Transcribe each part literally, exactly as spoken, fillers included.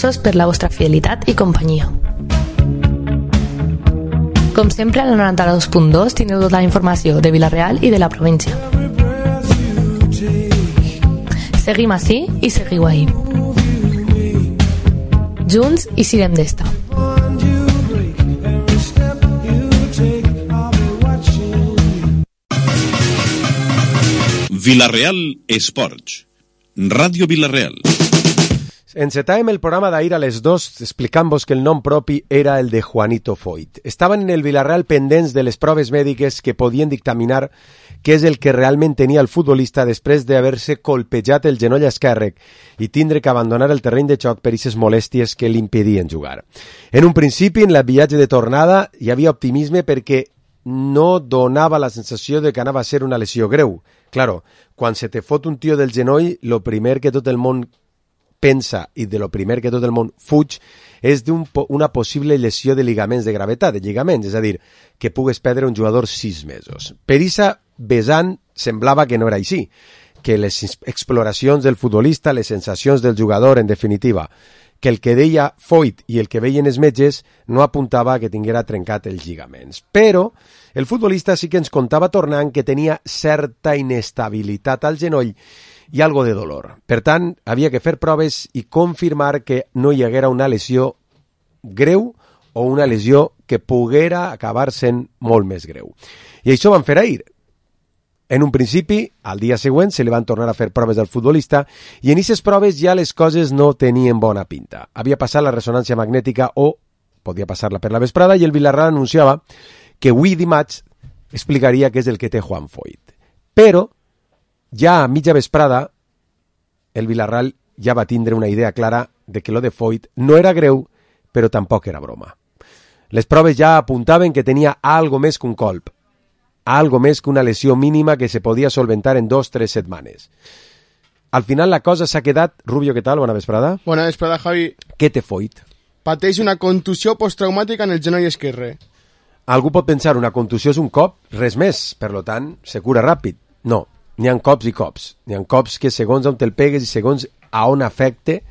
Gràcies per la vostra fidelitat i companyia. Com sempre, al noranta-dos punt dos teniu tota la informació de Vila-real i de la província. Seguim ací i seguiu ahí. Junts i sirem d'esta. Vila-real Esports. Ràdio Vila-real. Encetàvem el programa d'ahir a les dos explicant-vos que el nom propi era el de Juanito Foyt. Estaven en el Vila-real pendents de les proves mèdiques que podien dictaminar què és el que realment tenia el futbolista després d'haver-se colpejat el genoll esquerre i tindre que abandonar el terreny de xoc per aquestes molèsties que l'impedien jugar. En un principi, en el viatge de tornada, hi havia optimisme perquè no donava la sensació de que anava a ser una lesió greu. Claro, quan se te fot un tio del genoll, lo primer que tot el món pensa i de lo primer que tot el món fuig és d'una possible lesió de ligaments de gravetat, de lligaments, és a dir, que pugues perdre un jugador sis mesos. Per issa vessant semblava que no era així, que les exploracions del futbolista, les sensacions del jugador, en definitiva, que el que deia Foyt i el que veien els metges no apuntava que tinguera trencat els lligaments. Però el futbolista sí que ens contava tornant que tenia certa inestabilitat al genoll i algo de dolor. Per tant, havia que fer proves i confirmar que no hi haguera una lesió greu o una lesió que poguera acabar sent molt més greu. I això van fer ahir. En un principi, al dia següent, se li van tornar a fer proves al futbolista i en aquestes proves ja les coses no tenien bona pinta. Havia passat la ressonància magnètica o podia passar-la per la vesprada i el Vila-real anunciava que avui dimarts explicaria què és el que té Juan Foyt. Però ja a mitja vesprada el Vila-real ja va tindre una idea clara de que lo de Foyt no era greu, però tampoc era broma. Les proves ja apuntaven que tenia algo més que un colp, algo més que una lesió mínima que se podia solventar en dos o tres setmanes. Al final la cosa s'ha quedat... Rubio, què tal? Bona vesprada. Bona vesprada, Javi. Què té Foyt? Pateix una contusió posttraumàtica en el genoll esquerre. Algú pot pensar, una contusió és un cop, res més, per lo tant, se cura ràpid. No, n'hi ha cops i cops. N'hi ha cops que segons on te'l pegues i segons a on afecte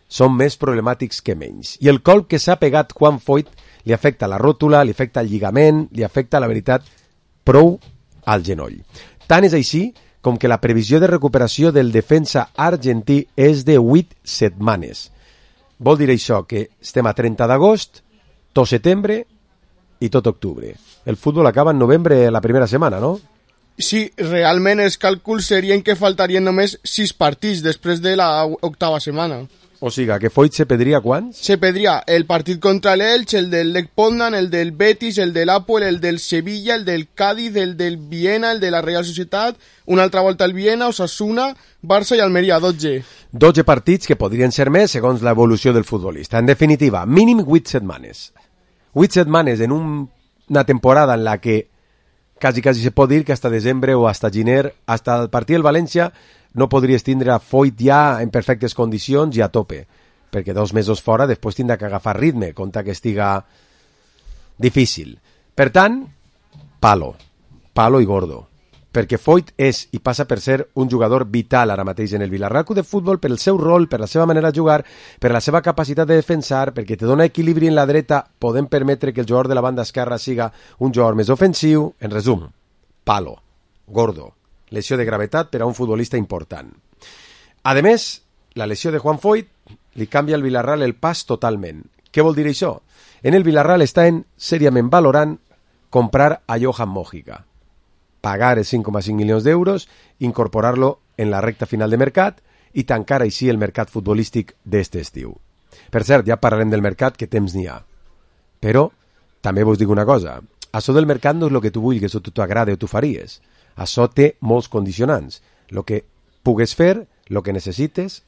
són més problemàtics que menys. I el colp que s'ha pegat Juan Foyt li afecta la ròtula, li afecta el lligament, li afecta, la veritat, prou al genoll. Tant és així com que la previsió de recuperació del defensa argentí és de vuit setmanes. Vol dir això que estem a trenta d'agost, tot setembre i tot octubre. El futbol acaba en novembre la primera setmana, no? Sí, realment els càlculs serien que faltarien només sis partits després de la octava setmana. O sigui, que Foyt se perdria quants? Se perdria el partit contra l'Elx, el del Lech Poznan, el del Betis, el de l'Apol, el del Sevilla, el del Cádiz, el del Viena, el de la Real Societat, una altra volta al Viena, Osasuna, Barça i Almeria, dotze. dotze partits que podrien ser més segons l'evolució del futbolista. En definitiva, mínim vuit setmanes. vuit setmanes en un, una temporada en la que quasi, quasi se pot dir que hasta desembre o hasta gener, hasta el partit del València, no podries tindre a Foyt ja en perfectes condicions i a tope, perquè dos mesos fora després tindrà que agafar ritme, compta que estiga difícil. Per tant, palo, palo i gordo, perquè Foyt és i passa per ser un jugador vital ara mateix en el Vila-real Club de Futbol per el seu rol, per la seva manera de jugar, per la seva capacitat de defensar, perquè te dona equilibri en la dreta, podem permetre que el jugador de la banda esquerra siga un jugador més ofensiu. En resum, palo, gordo, lesió de gravetat per a un futbolista important. A més, la lesió de Juan Foyt li canvia al Vila-real el pas totalment. Què vol dir això? En el Vila-real estan seriament valorant comprar a Johan Mojica, pagar els cinc coma cinc milions d'euros, incorporar-lo en la recta final de mercat i tancar així el mercat futbolístic d'este estiu. Per cert, ja parlarem del mercat, que temps n'hi ha. Però també vos dic una cosa, això del mercat no és el que tu vulguis o tu t'agrada o tu faries. Això té molts condicionants. El que pugues fer, el que necessites,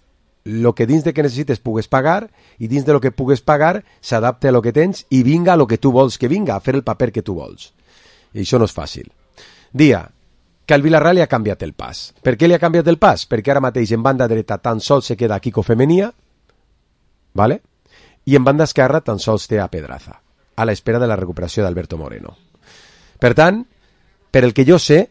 el que dins de que necessites pugues pagar i dins de lo que pugues pagar s'adapta a lo que tens i vinga a lo que tu vols que vinga, a fer el paper que tu vols. I això no és fàcil. Dia que al Vila-real li ha canviat el pas. Per què li ha canviat el pas? Perquè ara mateix en banda dreta tan sols se queda Kiko Femenia, ¿vale? I en banda esquerra tan sols té a Pedraza, a l'espera de la recuperació d'Alberto Moreno. Per tant, per el que jo sé,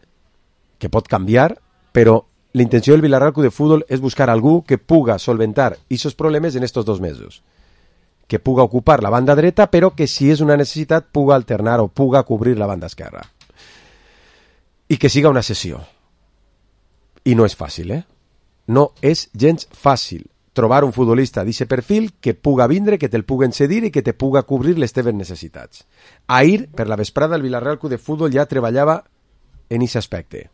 que pot canviar, però la intenció del Vila-real Club de Futbol és buscar algú que puga solventar aquests problemes en estos dos mesos. que puga ocupar la banda dreta, però que si és una necessitat puga alternar o puga cobrir la banda esquerra. I que siga una sessió. I no és fàcil, eh? No és gens fàcil trobar un futbolista d'aquest perfil que puga vindre, que te'l puguen cedir i que te puga cobrir les teves necessitats. Ahir, per la vesprada, el Villarreal Club de Futbol ja treballava en aquest aspecte.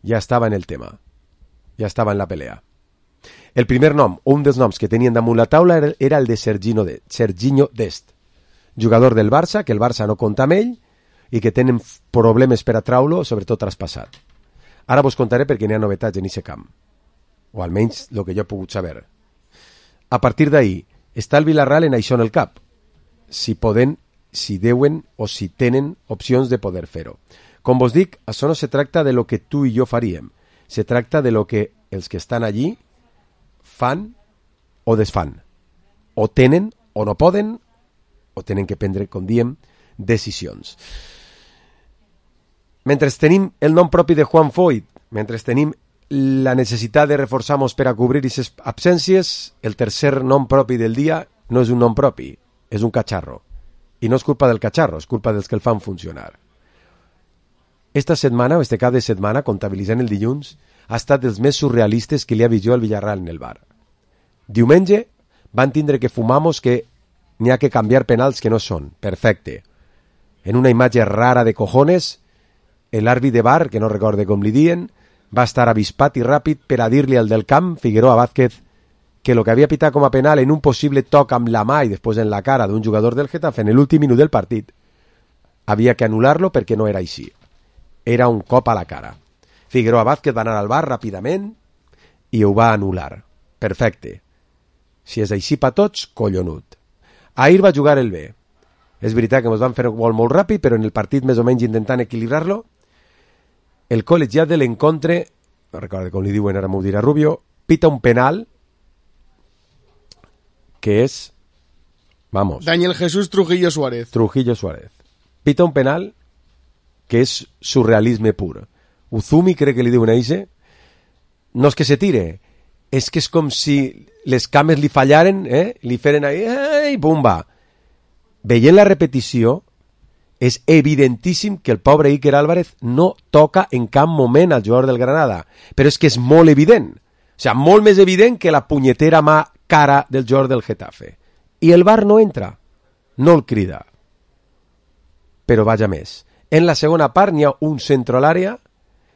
Ja estava en el tema. Ja estava en la pelea. El primer nom, o un dels noms que tenien damunt la taula era el de Serginho, de, Serginho Dest, jugador del Barça, que el Barça no compta amb ell i que tenen problemes per atraure-lo, sobretot traspassat. Ara vos contaré perquè n'hi ha novetats en aquest camp, o almenys el que jo he pogut saber. A partir d'ahir, està el Villarreal en això en el cap, si poden, si deuen o si tenen opcions de poder fer-ho. Com vos dic, això no se tracta de lo que tu i jo faríem, se tracta de lo que els que estan allí fan o desfan. O tenen o no poden, o tenen que prendre, com diem, decisions. Mentre tenim el nom propi de Juan Foyt, mentre tenim la necessitat de reforçar-nos per a cobrir aquestes absències, el tercer nom propi del dia no és un nom propi, és un catxarro. I no és culpa del catxarro, és culpa dels que el fan funcionar. Esta setmana, o este cap de setmana, comptabilitzant el dilluns, ha estat dels més surrealistes que li ha vist jo al Villarreal en el bar. Diumenge van tindre que fumamos que n'hi ha que canviar penals que no són. Perfecte. En una imatge rara de cojones, l'àrbit de bar, que no recorde com li dien, va estar avispat i ràpid per a dir-li al del camp, Figueroa Vázquez, que lo que havia pitat com a penal en un possible toc amb la mà i després en la cara d'un jugador del Getafe en l'últim minut del partit, havia que anul·lar-lo perquè no era així. Era un cop a la cara. Figueroa Vázquez va anar al bar ràpidament i ho va anul·lar. Perfecte. Si és així per tots, collonut. Ahir va jugar el B. És veritat que ens van fer un gol molt ràpid, però en el partit més o menys intentant equilibrar-lo, el col·legiat de l'encontre, no recordo com li diuen, ara m'ho dirà Rubio, pita un penal que és, vamos... Daniel Jesús Trujillo Suárez. Trujillo Suárez. Pita un penal que és surrealisme pur. Uzumi, crec que li diuen a Ise, no és que se tire, és que és com si les cames li fallaren, eh? Li feren ahí, i pumba. Veient la repetició, és evidentíssim que el pobre Iker Álvarez no toca en cap moment al jugador del Granada, però és que és molt evident, o sigui, molt més evident que la punyetera mà cara del jugador del Getafe. I el V A R no entra, no el crida. Però vaja més. En la segona part n'hi ha un centre a l'àrea,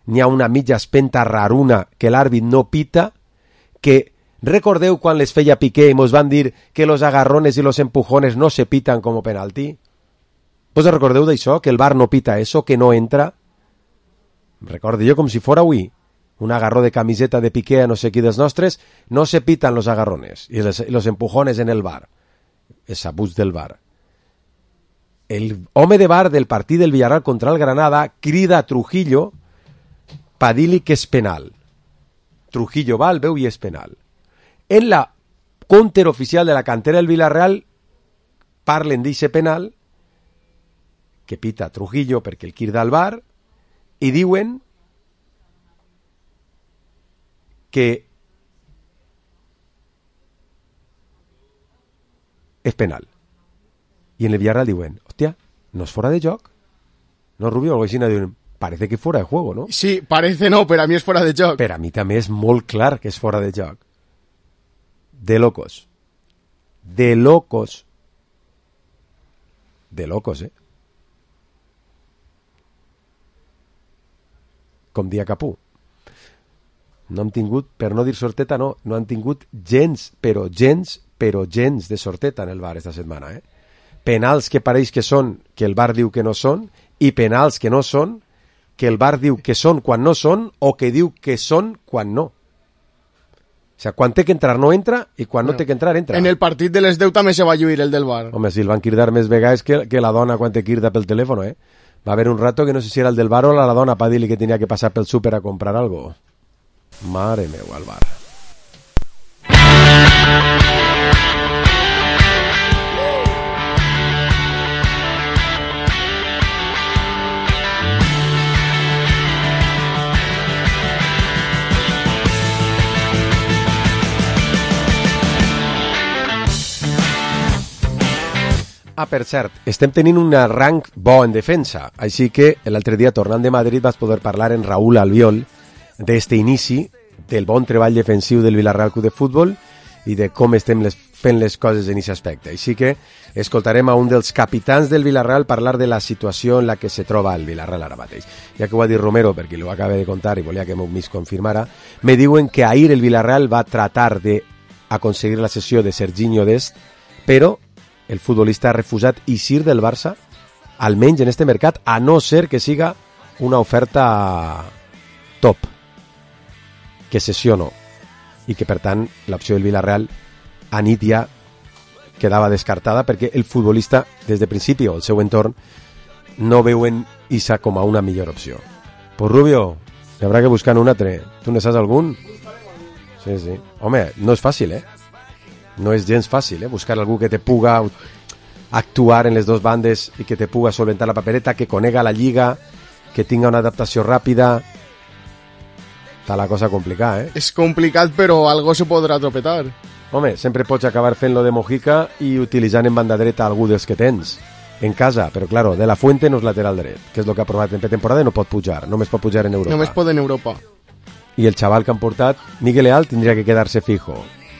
n'hi ha una mitja espenta raruna que l'àrbit no pita, que recordeu quan les feia Piqué i mos van dir que los agarrones i los empujones no se pitan com penalti? Vos recordeu d'això? Que el V A R no pita eso, que no entra? Recorde jo com si fora avui. Un agarró de camiseta de Piqué a no sé qui dels nostres, no se pitan los agarrones i los, los empujones en el V A R. És abús del V A R. El home de V A R del partit del Villarreal contra el Granada crida a Trujillo per dir-li que és penal. Trujillo va al veu i és penal. En la counter oficial de la cantera del Villarreal parlen d'eixe penal que pita Trujillo perquè el crida al V A R i diuen que és penal. I en el Villarreal diuen, hòstia, no és fora de joc? No, Rubio, algo així, diuen, parece que fuera de juego, ¿no? Sí, parece no, pero a mí es fuera de joc. Per a mi també és molt clar que és fora de joc. De locos. De locos. De locos, eh? Com dia Capú. No hem tingut, per no dir sorteta, no, no han tingut gens, però gens, però gens de sorteta en el V A R esta setmana, eh? Penals que pareix que són, que el V A R diu que no són, i penals que no són, que el V A R diu que són quan no són, o que diu que són quan no. O sigui, quan té que entrar no entra, i quan no, no té que entrar entra. En el partit de les deu també se va lluir el del V A R. Home, si el van cridar més vegades que, que la dona quan te crida pel telèfon, eh? Va haver un rato que no sé si era el del V A R o la, la dona per dir-li que tenia que passar pel súper a comprar algo. Mare meu, al V A R. Ah, per cert, estem tenint un rang bo en defensa, així que l'altre dia, tornant de Madrid, vas poder parlar en Raúl Albiol d'este inici, del bon treball defensiu del Villarreal Club de Futbol i de com estem les, fent les coses en aquest aspecte. Així que escoltarem a un dels capitans del Villarreal parlar de la situació en la que se troba el Villarreal ara mateix. Ja que ho ha dit Romero, perquè ho acaba de contar i volia que m'ho mis confirmara, me diuen que ahir el Villarreal va tratar de aconseguir la cessió de Serginho Dest, però el futbolista ha refusat eixir del Barça, almenys en este mercat, a no ser que siga una oferta top, que cessió no, i que per tant l'opció del Villarreal a nit ja quedava descartada perquè el futbolista des de principi o el seu entorn no veuen Isa com a una millor opció. Pues Rubio, hi haurà que buscar un altre. Tu ne saps algun? Sí, sí. Home, no és fàcil, eh? No és gens fàcil, eh? Buscar algú que te puga actuar en les dues bandes i que te puga solventar la papereta, que conega la lliga, que tinga una adaptació ràpida. Està la cosa complicada, eh? És complicat, però algo se podrà tropetar. Home, sempre pots acabar fent-lo de Mojica i utilitzant en banda dreta algú dels que tens en casa, però claro, De La Fuente no és lateral dret, que és el que ha provat en pretemporada i no pot pujar, només pot pujar en Europa. Només pot en Europa. I el xaval que han portat, Miguel Leal, tindria que quedar-se fijo.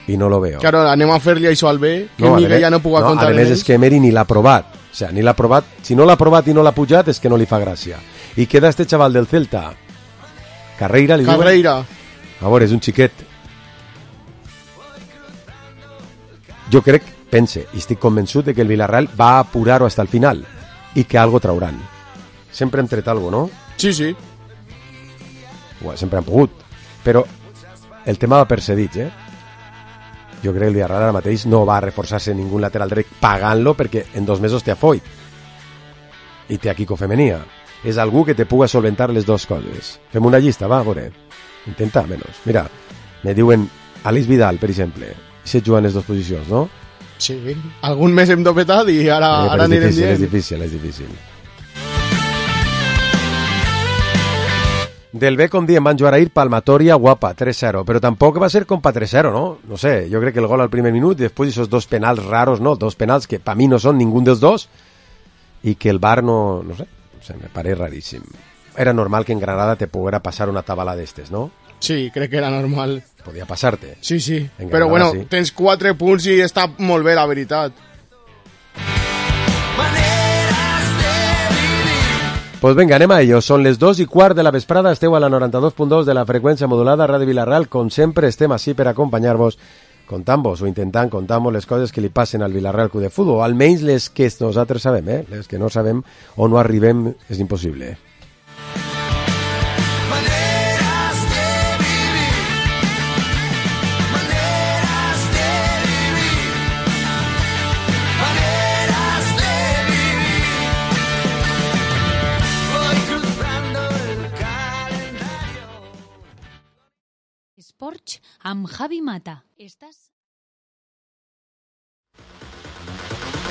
I no lo veo. Claro, anem a fer-li això al B, que no, Miguel més, ja no puga no, comptar en ells. A més és que Emery ni l'ha provat. O sea, ni l'ha provat. Si no l'ha provat i no l'ha pujat és que no li fa gràcia. I queda este xaval del Celta. Carreira, li Carreira. Diuen? A veure, és un xiquet. Jo crec, pense, i estic convençut de que el Villarreal va apurar-ho hasta el final i que algo trauran. Sempre hem tret algo, no? Sí, sí. Bueno, sempre han pogut. Però el tema va per cedits, eh? Jo crec que el Villarreal ara mateix no va a reforçar-se ningú lateral dret pagant-lo perquè en dos mesos té a Foyt i té a Kiko Femenia. És algú que te puga solventar les dues coses. Fem una llista, va, a veure. Intenta, menys. Mira, me diuen Aleix Vidal, per exemple. Se juguen les dues posicions, no? Sí, algun mes hem dopetat i ara, eh, ara anirem dient. És difícil, és difícil, és difícil. Del B, com diem, van jugar ahir palmatoria guapa, tres cero, però tampoc va ser com pa tres cero, no? No sé, jo crec que el gol al primer minut i després esos dos penals raros, no? Dos penals que pa mi no són ningú dels dos i que el V A R no, no sé, no sé, me pareix raríssim. Era normal que en Granada te poguera passar una tabala d'estes, no? Sí, crec que era normal. Podia passar-te. Sí, sí, en però Granada, bueno, sí. Tens quatre punts i està molt bé, la veritat. Pues venga, anem a ello. Són les dos i quart de la vesprada, esteu a la noranta-dos punt dos de la freqüència modulada Ràdio Villarreal. Com sempre, estem així per acompanyar-vos, contant-vos o intentant contar-vos les coses que li passen al Villarreal Club de Futbol, almenys les que nosaltres sabem, eh? Les que no sabem o no arribem és impossible. Sports amb Javi Mata. ¿Estás?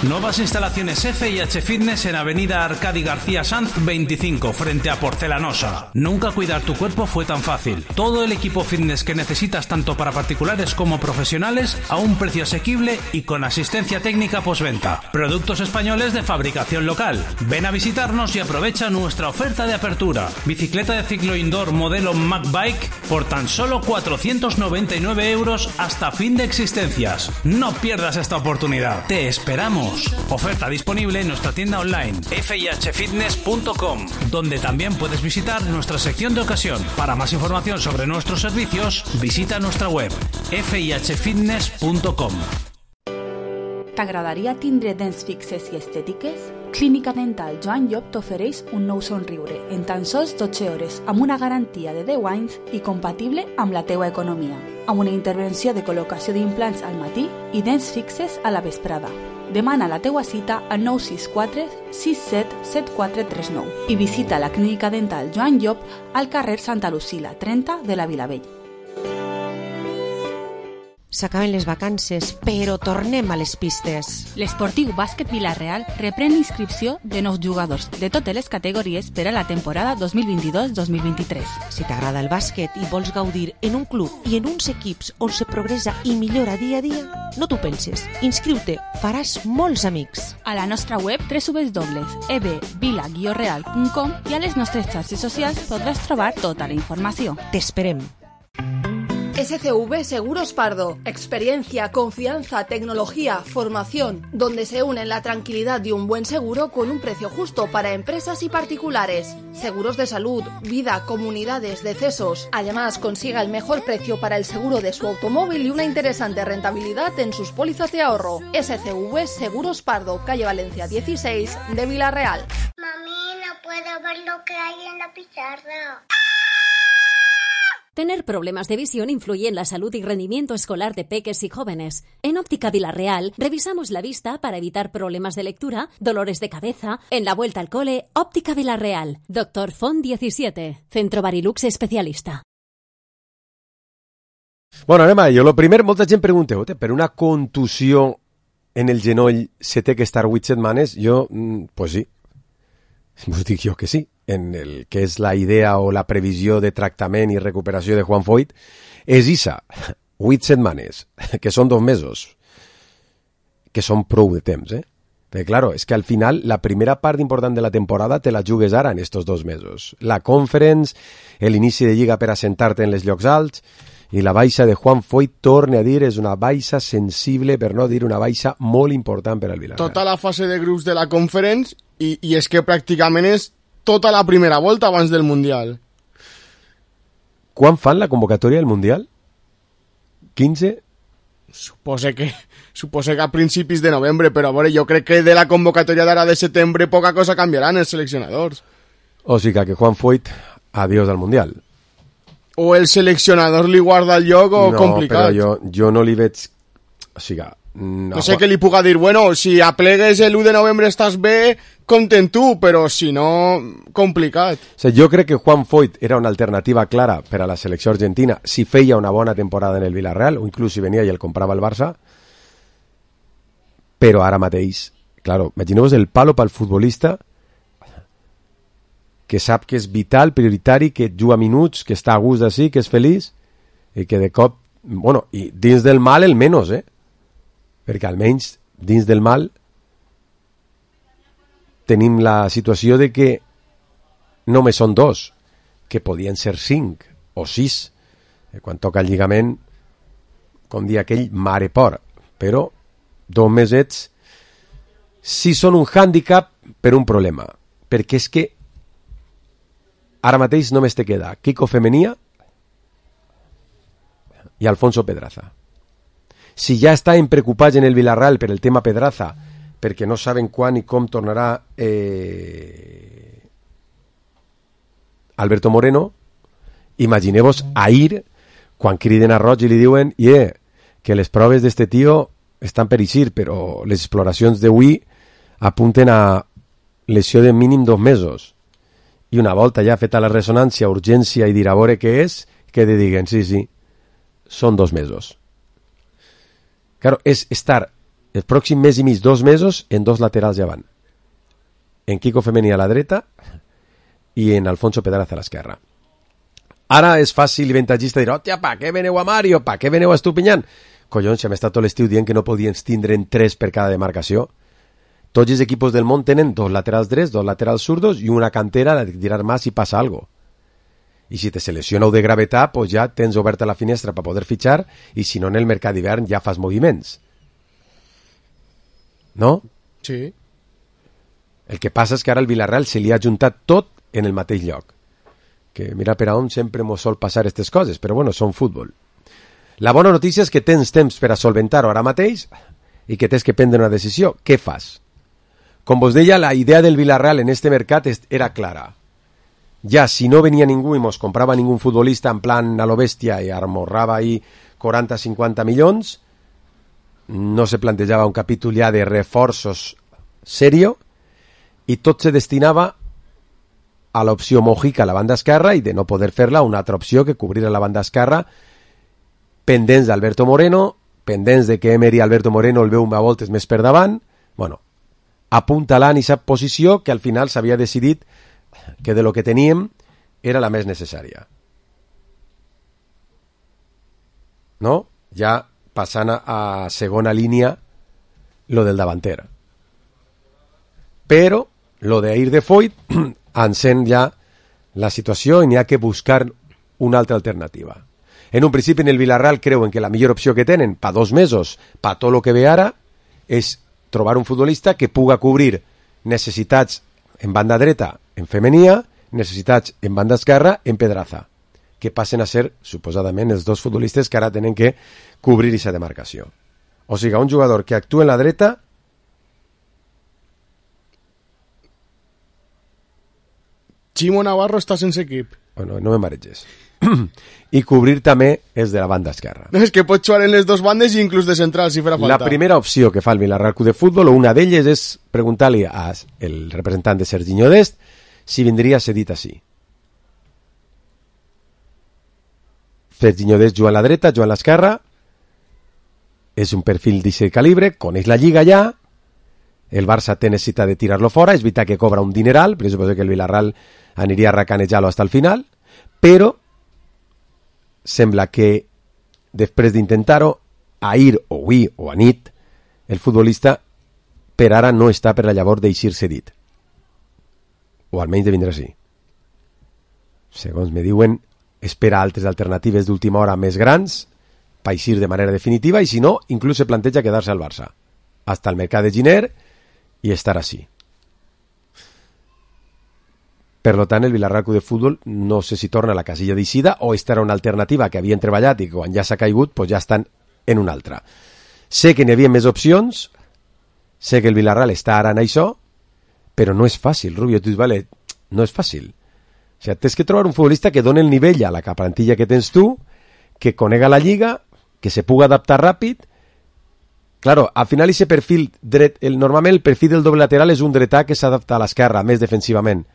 Nuevas instalaciones F y H Fitness en Avenida Arcadi García Sanz veinticinco, frente a Porcelanosa. Nunca cuidar tu cuerpo fue tan fácil. Todo el equipo fitness que necesitas tanto para particulares como profesionales a un precio asequible y con asistencia técnica postventa. Productos españoles de fabricación local. Ven a visitarnos y aprovecha nuestra oferta de apertura. Bicicleta de ciclo indoor modelo Mac Bike por tan solo cuatrocientos noventa y nueve euros hasta fin de existencias. No pierdas esta oportunidad. Te esperamos. Oferta disponible en nuestra tienda online f i h fitness punto com, donde también puedes visitar nuestra sección de ocasión. Para más información sobre nuestros servicios, visita nuestra web f i h fitness punto com. T'agradaria tindre dents fixes i estètiques? Clínica Dental Joan Llop t'ofereix un nou somriure en tan sols dotze hores amb una garantia de deu anys i compatible amb la teua economia, amb una intervenció de col·locació d'implants al matí i dents fixes a la vesprada. Demana la teua cita al nou sis quatre sis set set quatre tres nou i visita la Clínica Dental Joan Llop al carrer Santa Lucila trenta de la Vilavell. s'acaben les vacances, però tornem a les pistes. L'Esportiu Bàsquet Vila-real reprèn l'inscripció de nous jugadors de totes les categories per a la temporada dos mil vint-i-dos dos mil vint-i-tres. Si t'agrada el bàsquet i vols gaudir en un club i en uns equips on se progressa i millora dia a dia, no t'ho penses. Inscriu-te, faràs molts amics. A la nostra web w w w punt e b vila guió real punt com i a les nostres xarxes socials podràs trobar tota la informació. T'esperem. S C V Seguros Pardo. Experiencia, confianza, tecnología, formación, donde se unen la tranquilidad de un buen seguro con un precio justo para empresas y particulares. Seguros de salud, vida, comunidades, decesos. Además, consiga el mejor precio para el seguro de su automóvil y una interesante rentabilidad en sus pólizas de ahorro. S C V Seguros Pardo, calle Valencia dieciséis de Vila-real. Mami, no puedo ver lo que hay en la pizarra. Tener problemas de visión influye en la salud y rendimiento escolar de peques y jóvenes. En Óptica Vila-real revisamos la vista para evitar problemas de lectura, dolores de cabeza. En la vuelta al cole, Óptica Vila-real. Doctor Font diecisiete, Centro Barilux especialista. Bueno, anem a ello. Lo primer, molta gent pregunteu, per una contusió en el genoll se té que estar vuit setmanes? Jo, pues sí. Us dic jo que sí. En el que és la idea o la previsió de tractament i recuperació de Juan Foyt, és issa, vuit setmanes, que són dos mesos, que són prou de temps, eh? Perquè, claro, és que al final la primera part important de la temporada te la jugues ara en estos dos mesos. La Conference, l'inici de Lliga per assentar-te en els llocs alts, i la baixa de Juan Foyt, torne a dir, és una baixa sensible, per no dir una baixa molt important per al Villarreal. Tota la fase de grups de la Conference, i, i és que pràcticament és tota la primera volta abans del Mundial. Quan fan la convocatòria del Mundial? quinze? Supose que, supose que a principis de novembre, però a veure, jo crec que de la convocatòria d'ara de setembre poca cosa canviaran els seleccionadors. O sigui que Juan Foyt, adiós al Mundial. O el seleccionador li guarda el lloc o no, complicat. No, però jo, jo no li veig... O sigui... No, no sé què li puga dir, bueno, si aplegues l'u de novembre estàs bé, compten tu, però si no, complicat. O sigui, jo crec que Juan Foyt era una alternativa clara per a la selecció argentina si feia una bona temporada en el Villarreal, o inclús si venia i el comprava el Barça, però ara mateix, claro, imagineu-vos el palo pel futbolista que sap que és vital, prioritari, que juga minuts, que està a gust d'ací, que és feliç, i que de cop, bueno, i dins del mal el menys, eh? Perquè almenys dins del mal tenim la situació de que només són dos, que podien ser cinc o sis. Quan toca el lligament, com dia aquell, mare por. Però dos mesets sí són un hàndicap per un problema. Perquè és que ara mateix només te queda Kiko Femenia i Alfonso Pedraza. Si ja estan preocupats en el Villarreal per el tema Pedraza, perquè no saben quan i com tornarà eh, Alberto Moreno, imagineu-vos ahir, quan criden a Roig i li diuen yeah, que les proves d'este tio estan per eixir, però les exploracions d'avui apunten a lesió de mínim dos mesos. I una volta ja feta la ressonància, urgència i dir a veure què és, que te diguen, sí, sí, són dos mesos. Claro, és estar el pròxim mes i mig, dos mesos, en dos laterals davant. En Kiko Femení a la dreta i en Alfonso Pedraza a l'esquerra. Ara és fàcil i avantatgista dir, hòstia, pa què veneu a Mario? Pa què veneu a Estupinyán? Collons, si hem estat tot l'estiu dient que no podien tindre'n tres per cada demarcació. Tots els equipos del món tenen dos laterals drets, dos laterals zurdos i una cantera de tirar mà si passa algo. I si te seleccioneu de gravetat, pues ja tens oberta la finestra per poder fitxar i si no en el mercat d'hivern ja fas moviments. No? Sí. El que passa és que ara el Villarreal se li ha juntat tot en el mateix lloc. Que mira per a on sempre mos sol passar aquestes coses, però bueno, són futbol. La bona notícia és que tens temps per a solventar-ho ara mateix i que tens que prendre una decisió. Què fas? Com vos deia, la idea del Villarreal en este mercat era clara. Ja, si no venia ningú i mos comprava ningú futbolista en plan a lo bèstia i amorrava ahí quaranta a cinquanta milions, no se plantejava un capítol ja de reforços serio i tot se destinava a l'opció Mojica a la banda esquerra i de no poder fer-la una altra opció que cobrir a la banda esquerra pendents d'Alberto Moreno pendents de que Emery Alberto Moreno el veu a voltes més per davant, bueno, apuntalant aquesta posició que al final s'havia decidit que de lo que teníem era la més necessària. No? Ja passant a segona línia lo del davanter. Però lo d'Air de Foyt encén ja la situació i n'hi ha que buscar una altra alternativa. En un principi en el Villarreal creuen que la millor opció que tenen pa dos mesos, pa tot lo que ve ara, és trobar un futbolista que puga cobrir necessitats en banda dreta en Femenia, necessitats en banda esquerra en Pedraza, que passen a ser, suposadament, els dos futbolistes que ara tenen que cobrir aquesta demarcació. O sigui, un jugador que actua en la dreta Chimo Navarro està sense equip. Bueno, no me mareges. I cobrir també és de la banda esquerra. No, és que pot jugar en les dos bandes i inclús de central, si farà falta. La primera opció que fa el Villarreal Club de Futbol, o una d'elles, és preguntar-li al representant de Serginho Dest si vindria cedit així. Serginho Dest juga a la dreta, juga a l'esquerra, és un perfil d'aquest calibre, coneix la lliga ja, el Barça té necessitat de tirar-lo fora, és veritat que cobra un dineral, però suposo que el Villarreal aniria a racanejar-lo fins al final, però sembla que després d'intentar-ho, ahir o avui o a nit, el futbolista per ara no està per la llavor d'eixir cedit. O almenys de vindre així. Segons me diuen, espera altres alternatives d'última hora més grans per eixir de manera definitiva i si no, inclús se planteja quedar-se al Barça. Hasta el mercat de Giner i estar així. Per tant, el Villarreal Club de Futbol no sé si torna a la casilla d'eixida o esta era una alternativa que havien treballat i que quan ja s'ha caigut pues ja estan en una altra. Sé que n'hi havia més opcions, sé que el Villarreal està ara en això, però no és fàcil, Rubio, tu dius, vale, no és fàcil. O sigui, tens que trobar un futbolista que doni el nivell a la plantilla que tens tu, que conega la lliga, que se puga adaptar ràpid. Claro, al final ese perfil dret, el, normalment el perfil del doble lateral és un dretà que s'adapta a l'esquerra, més defensivament.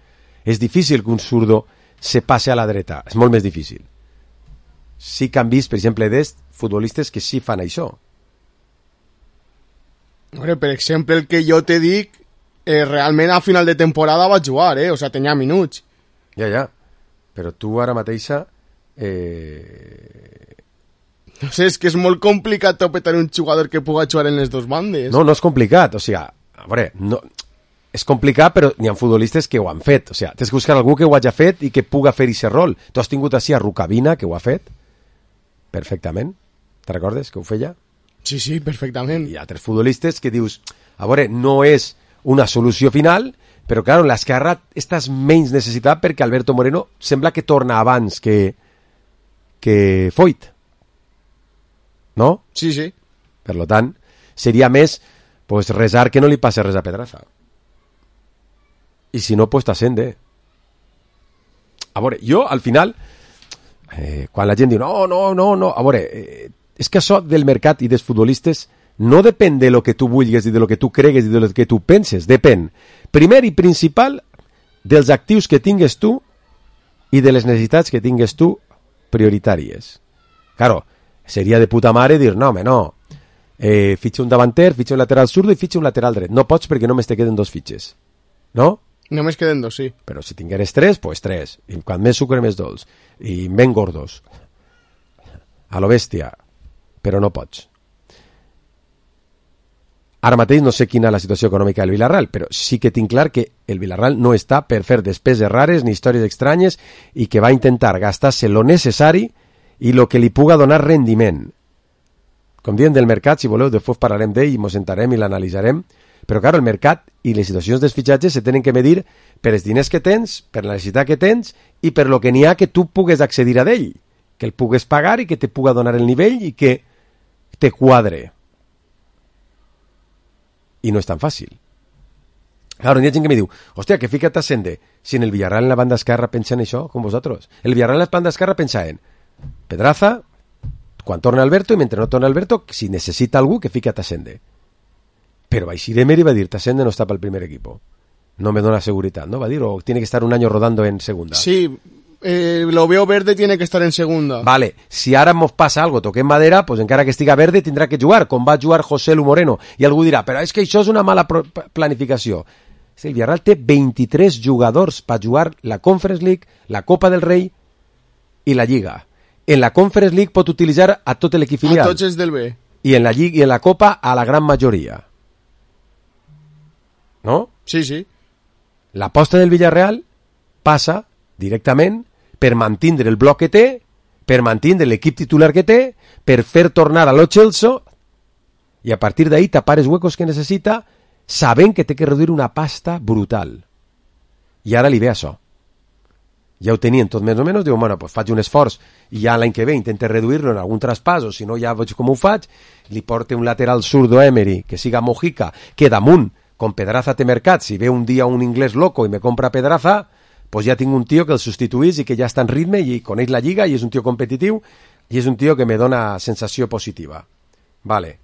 És difícil que un zurdo se passe a la dreta, és molt més difícil. Sí que han vist, per exemple, d'est futbolistes que sí fan això. Hombre, per exemple, el que jo te dic, eh, realment a final de temporada va jugar, eh? O sea, tenia minuts. Ja, ja. Però tu ara mateixa... Eh... No sé, és que és molt complicat topetar un jugador que puga jugar en les dos bandes. No, no és complicat, o sigui, a veure, no... és complicat, però n'hi ha futbolistes que ho han fet. O sigui, tens que buscar algú que ho hagi fet i que puga fer aquest rol. Tu has tingut així a Rukavina, que ho ha fet perfectament. Te recordes que ho feia? Sí, sí, perfectament. Hi ha altres futbolistes que dius, a veure, no és una solució final, però, clar, en l'esquerra estàs menys necessitat perquè Alberto Moreno sembla que torna abans que, que Foyt. No? Sí, sí. Per tant, seria més pues, resar que no li passi res a Pedraza. I si no, pues t'ascende. A veure, jo, al final, eh, quan la gent diu no, no, no, no, a veure, eh, és que això del mercat i dels futbolistes no depèn de lo que tu vulguis i de lo que tu cregues i de lo que tu penses, depèn, primer i principal, dels actius que tingues tu i de les necessitats que tingues tu prioritàries. Claro, seria de puta mare dir, no, home, no, eh, fitxa un davanter, fitxa un lateral zurdo i fitxa un lateral dret. No pots perquè només te queden dos fitxes. No? Només queden dos, sí. Però si tingueres tres, pues tres. I quan més sucre, més dolç. I ben gordos. A lo bèstia. Però no pots. Ara mateix no sé quina és la situació econòmica del Villarreal, però sí que tinc clar que el Villarreal no està per fer despeses rares ni històries estranyes i que va intentar gastar-se lo necessari i lo que li puga donar rendiment. Com diem del mercat, si voleu, després parlarem d'ell i mos sentarem i l'analitzarem, però, clar, el mercat i les situacions dels fitxatges se tenen que medir per els diners que tens, per la necessitat que tens i per lo que n'hi ha que tu pugues accedir a d'ell, que el pugues pagar i que te puga donar el nivell i que te quadre. I no és tan fàcil. Claro, hi ha gent que me diu, hòstia, que fica't a Sende, si en el Villarreal en la banda esquerra pensa en això, com vosaltres. El Villarreal en la banda esquerra pensa en Pedraza, quan torna Alberto, i mentre no torna Alberto, si necessita algú, que fica't a Sende. Pero Baixir Emery va a decir, Tasende no está para el primer equipo. No me dona seguridad, ¿no? Va a decir, o tiene que estar un año rodando en segunda. Sí, eh, lo veo verde, tiene que estar en segunda. Vale, si ara mos passa algo, toquem madera, pues encara que estiga verde tindrà que jugar, com va jugar José Lu Moreno. I algú dirà, però és que això és una mala planificació. El Villarreal té vint-i-tres jugadors per jugar la Conference League, la Copa del Rei i la Lliga. En la Conference League pot utilitzar a tot l'equip filial. A tots els del B. I en la Lliga i en la Copa a la gran majoria. No? Sí, sí. L'aposta del Villarreal passa directament per mantindre el bloc que té, per mantindre l'equip titular que té, per fer tornar a Lo Celso i a partir d'ahí tapar els huecos que necessita, sabent que té que reduir una pasta brutal. I ara li ve això. Ja ho tenien tot més o menys, diuen, bueno, pues faig un esforç i ja l'any que ve intento reduir-lo en algun traspàs, o si no ja veig com ho faig, li porte un lateral zurdo Emery, que siga Mojica, que damunt, com Pedraza té mercat, si ve un dia un inglès loco i me compra Pedraza, pues ja tinc un tio que el substituís i que ja està en ritme i coneix la lliga i és un tio competitiu i és un tio que me dona sensació positiva. Vale.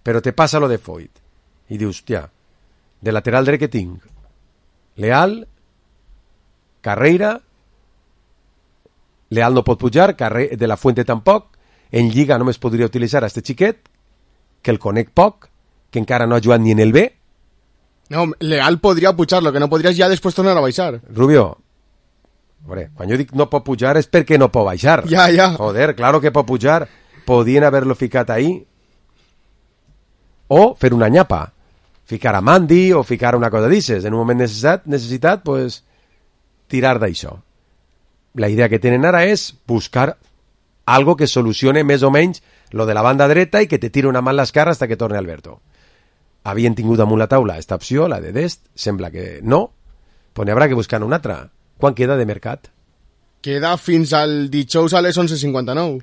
Però te passa lo de Foyt. I dius, hòstia, de lateral dret que tinc Leal, Carreira, Leal no pot pujar, Carre... de la Fuente tampoc, en Lliga només podria utilitzar a este xiquet, que el conec poc, que encara no ha jugat ni en el B. No, Leal podria pujar, lo que no podries ja després tornar a baixar. Rubio, hombre, quan jo dic no pot pujar és perquè no pot baixar. Ja, ja. Joder, claro que pot pujar. Podien haver-lo ficat ahí. O fer una nyapa. Ficar a Mandy o ficar una cosa d'ixes. En un moment necessitat, necessitat pues, tirar d'això. La idea que tenen ara és buscar algo que solucione més o menys lo de la banda dreta i que te tire una mà en l'esquerra hasta que torne Alberto. Havien tingut damunt la taula esta opció, la de Dest, sembla que no, però n'hi haurà que buscar una altra. Quan queda de mercat? Queda fins al dijous a les onze cinquanta-nou.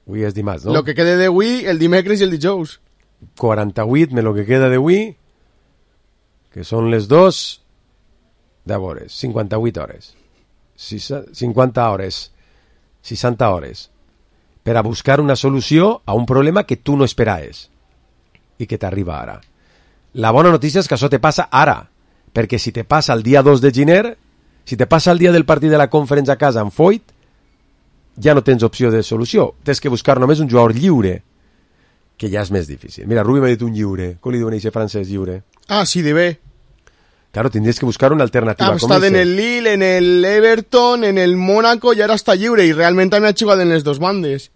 Avui és dimarts, no? Lo que queda d'avui, el dimecres i el dijous. quaranta-vuit me lo que queda d'avui, que són les dos, de hores, cinquanta-vuit hores. cinquanta hores, seixanta hores, per a buscar una solució a un problema que tu no esperaves i que t'arriba ara. La bona notícia és que això te passa ara, perquè si te passa el dia dos de gener, si te passa el dia del partit de la Conference a casa amb Foyt, ja no tens opció de solució. Tens que buscar només un jugador lliure, que ja és més difícil. Mira, Rubi m'ha dit un lliure. Com li diuen a aquest francès lliure? Ah, sí, de bé. Claro, tindries que buscar una alternativa. Ha estat en el Lille, en el Everton, en el Mónaco i ara està lliure i realment també ha jugat en les dos bandes.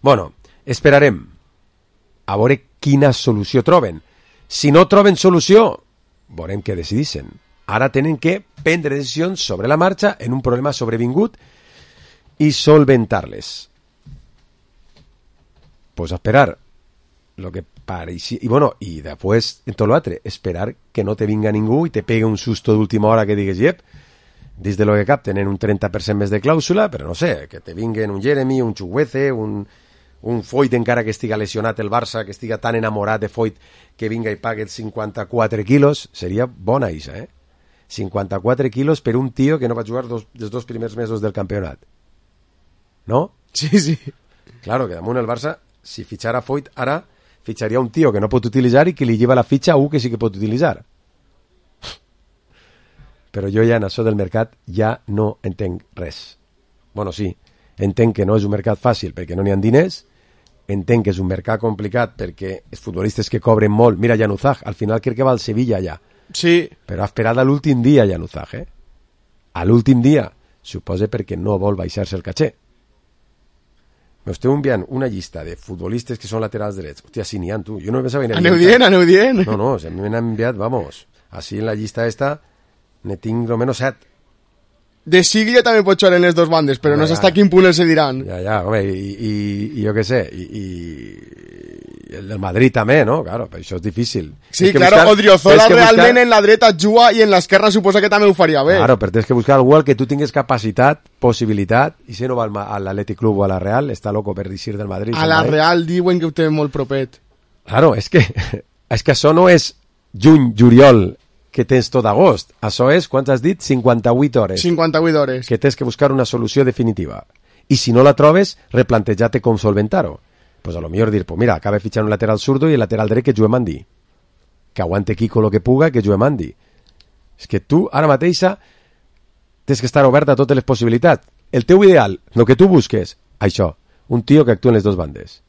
Bueno, esperarem a veure quina solució troben. Si no troben solució, veurem què decidissin. Ara tenen que prendre decisions sobre la marxa en un problema sobrevingut i solventar-les. Pues a esperar lo que pareixia, y bueno, y después en todo lo otro, esperar que no te venga ningú y te pegue un susto de última hora que digues, yep, des de lo que cap tenen un trenta per cent més de clàusula, però no sé, que te vinguen un Jeremy, un Chuguece, un, un Foyt encara que estiga lesionat el Barça, que estiga tan enamorat de Foyt que vinga i pague cinquanta-quatre quilos, seria bona isa, eh? cinquanta-quatre quilos per un tio que no va jugar dos, els dos primers mesos del campionat. No? Sí, sí. Claro, que damunt el Barça, si fitxara Foyt ara, fitxaria un tio que no pot utilitzar i que li lleva la fitxa a un que sí que pot utilitzar. Però jo ja en això del mercat ja no entenc res. Bueno, sí, entenc que no és un mercat fàcil perquè no n'hi ha diners, entenc que és un mercat complicat perquè els futbolistes que cobren molt, mira Januzaj, al final crec que va al Sevilla ja. Sí. Però ha esperat a l'últim dia Januzaj, eh? A l'últim dia, suposa perquè no vol baixar-se el caché. M'esteu enviant una llista de futbolistes que són laterals drets. Hòstia, sí n'hi ha, tu. Jo no pensava en el aneu dient, aneu dient. No, no, a mi m'han enviat, vamos, així en la llista esta ne tinc almenys set. De Siglia també pot jugar en les dos bandes, però no, no sé hasta quin punt els diran. Ja, ja, home, i, i, i jo què sé, i, i el del Madrid també, no? Claro, però això és difícil. Sí, claro, buscar, Odriozola realment buscar... en la dreta juga i en l'esquerra suposa que també ho faria bé. Claro, però tens que buscar algú al que tu tingues capacitat, possibilitat, i si no va a l'Atlètic Club o a la Real, està loco per dir del Madrid. A la Real diuen que ho té molt propet. Claro, és que, és que això no és juny, juliol, que tens tot agost. Això és, quants has dit? cinquanta-vuit hores. cinquanta-vuit hores. Que tens que buscar una solució definitiva. I si no la trobes, replantejar-te com solventar-ho. Pues a lo millor dir, pues mira, acaba fitxant un lateral zurdo i el lateral dret que juguem Andy. Que aguante Kiko lo que puga, que juguem Andy. És que tu, ara mateixa, tens que estar obert a totes les possibilitats. El teu ideal, el que tu busques, això, un tio que actua en les dues bandes.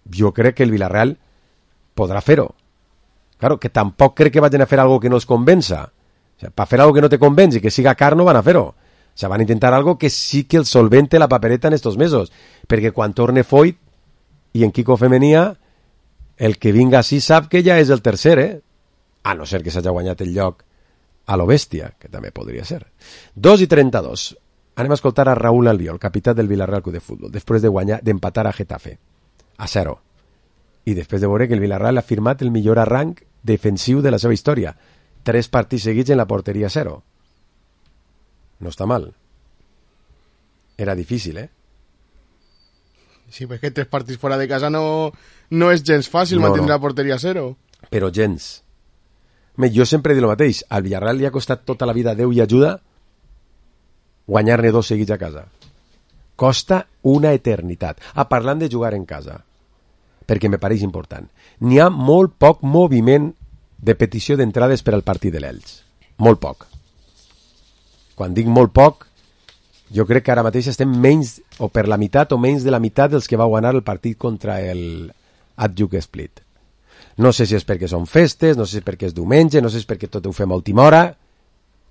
Jo crec que el Villarreal podrà fer-ho. Claro, que tampoc crec que vagin a fer algo que no els convença. O sea, per fer algo que no te convenç i que siga car no van a fer-ho. O sea, van a intentar algo que sí que el solvente la papereta en estos mesos. Perquè quan torne Foyt i en Kiko Femenia, el que vinga així sap que ja és el tercer, eh? A no ser que s'hagi guanyat el lloc a lo bèstia, que també podria ser. dos i trenta-dos. Anem a escoltar a Raúl Albiol, capità del Villarreal Club de Futbol, després de guanyar, d'empatar a Getafe, a zero. I després de veure que el Villarreal ha firmat el millor arranc defensiu de la seva història. Tres partits seguits en la porteria zero. No està mal. Era difícil, eh? Sí, pues que tres partits fora de casa no, no és gens fàcil no, mantenir no. la porteria zero. Però gens. Jo sempre dic el mateix. Al Villarreal li ha costat tota la vida Déu i ajuda guanyar-ne dos seguits a casa. Costa una eternitat. Ah, parlant de jugar en casa, perquè me pareix important. N'hi ha molt poc moviment de petició d'entrades per al partit de l'Elx. Molt poc. Quan dic molt poc, jo crec que ara mateix estem menys, o per la meitat o menys de la meitat dels que va guanyar el partit contra el Adjuk Split. No sé si és perquè són festes, no sé si és perquè és diumenge, no sé si és perquè tot ho fem a última hora.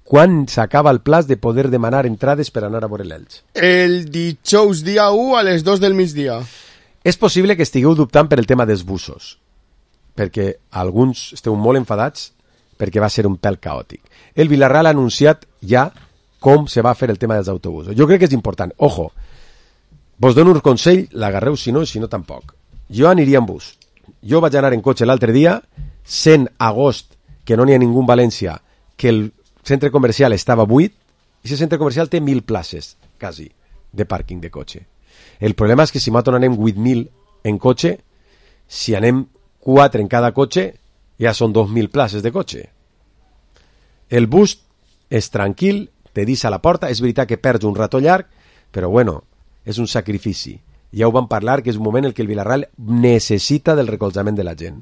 Quan s'acaba el plaç de poder demanar entrades per anar a veure l'Elx? El dijous dia u a les dos del migdia. És possible que estigueu dubtant per el tema dels busos, perquè alguns esteu molt enfadats perquè va ser un pèl caòtic. El Villarreal ha anunciat ja com se va fer el tema dels autobusos. Jo crec que és important. Ojo, vos dono un consell, l'agarreu si no, si no tampoc. Jo aniria en bus. Jo vaig anar en cotxe l'altre dia, sent agost que no n'hi ha ningú en València, que el centre comercial estava buit, i aquest centre comercial té mil places, quasi, de pàrquing de cotxe. El problema és que si nosaltres anem vuit mil en cotxe, si anem quatre en cada cotxe, ja són dos mil places de cotxe. El bus és tranquil, te deixa a la porta, és veritat que perds un rato llarg, però bueno, és un sacrifici. Ja ho vam parlar, que és un moment en què el Villarreal necessita del recolzament de la gent.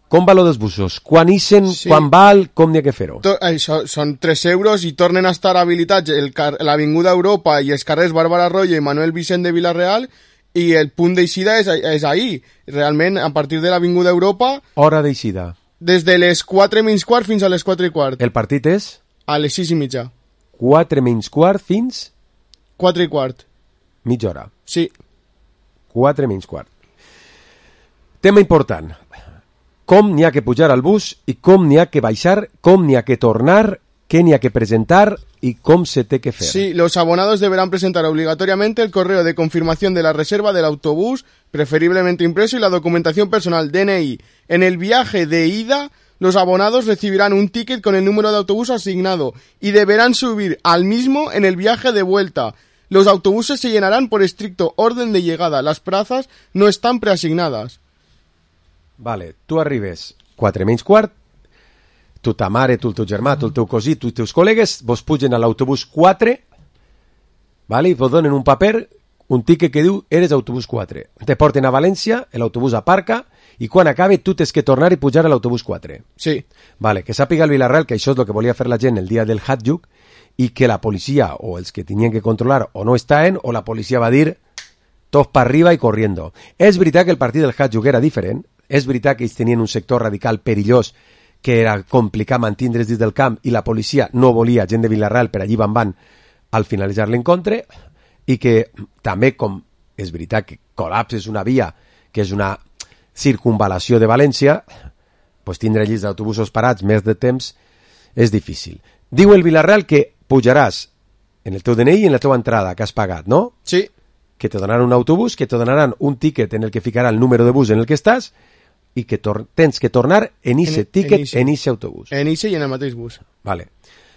Com va lo dels busos? Quan ixen, sí. Quan val, com n'hi ha que fer-ho? Això, són tres euros i tornen a estar habilitats l'Avinguda Europa i els carrers Bàrbara Royo i Manuel Vicent de Villarreal, i el punt d'eixida és, és ahir. Realment, a partir de l'Avinguda Europa... Hora d'eixida. Des de les quatre menys quart fins a les quatre i quart. El partit és? A les sis i mitja. quatre menys quart fins? quatre i quart. Mitja hora. Sí. quatre menys quart. Tema important. Com n'hi ha que pujar al bus i com n'hi ha que baixar, com n'hi ha que tornar, què n'hi ha que presentar y cómo se te que fer. Sí, los abonados deberán presentar obligatoriamente el correo de confirmación de la reserva del autobús, preferiblemente impreso, y la documentación personal, D N I. En el viaje de ida, los abonados recibirán un ticket con el número de autobús asignado y deberán subir al mismo en el viaje de vuelta. Los autobuses se llenarán por estricto orden de llegada. Las plazas no están preasignadas. Vale, tu arribes quatre menys quart, tu ta mare, tu el teu germà, tu el teu cosí, tu els teus col·legues, vos pugen a l'autobús quatre, vale, i vos donen un paper, un tiquet que diu eres autobús quatre. Te porten a València, l'autobús aparca, i quan acabe tu tens que tornar i pujar a l'autobús quatre. Sí. Vale, que sàpiga el Villarreal que això és el que volia fer la gent el dia del Hadjuk, i que la policia, o els que tenien que controlar, o no estaven, o la policia va dir tots per arriba i corriendo. És veritat que el partit del Hadjuk era diferent, és veritat que ells tenien un sector radical perillós que era complicat mantindre's dins del camp i la policia no volia gent de Villarreal per allí van van al finalitzar l'encontre, i que també, com és veritat que col·lapses una via que és una circunvalació de València, pues tindre llits d'autobusos parats més de temps és difícil. Diu el Villarreal que pujaràs en el teu D N I i en la teva entrada que has pagat, no? Sí. Que te donaran un autobús, que te donaran un tiquet en el que ficarà el número de bus en el que estàs i que tens que tornar en ese tiquet, en ese autobús. En ese i en el mateix bus. Vale.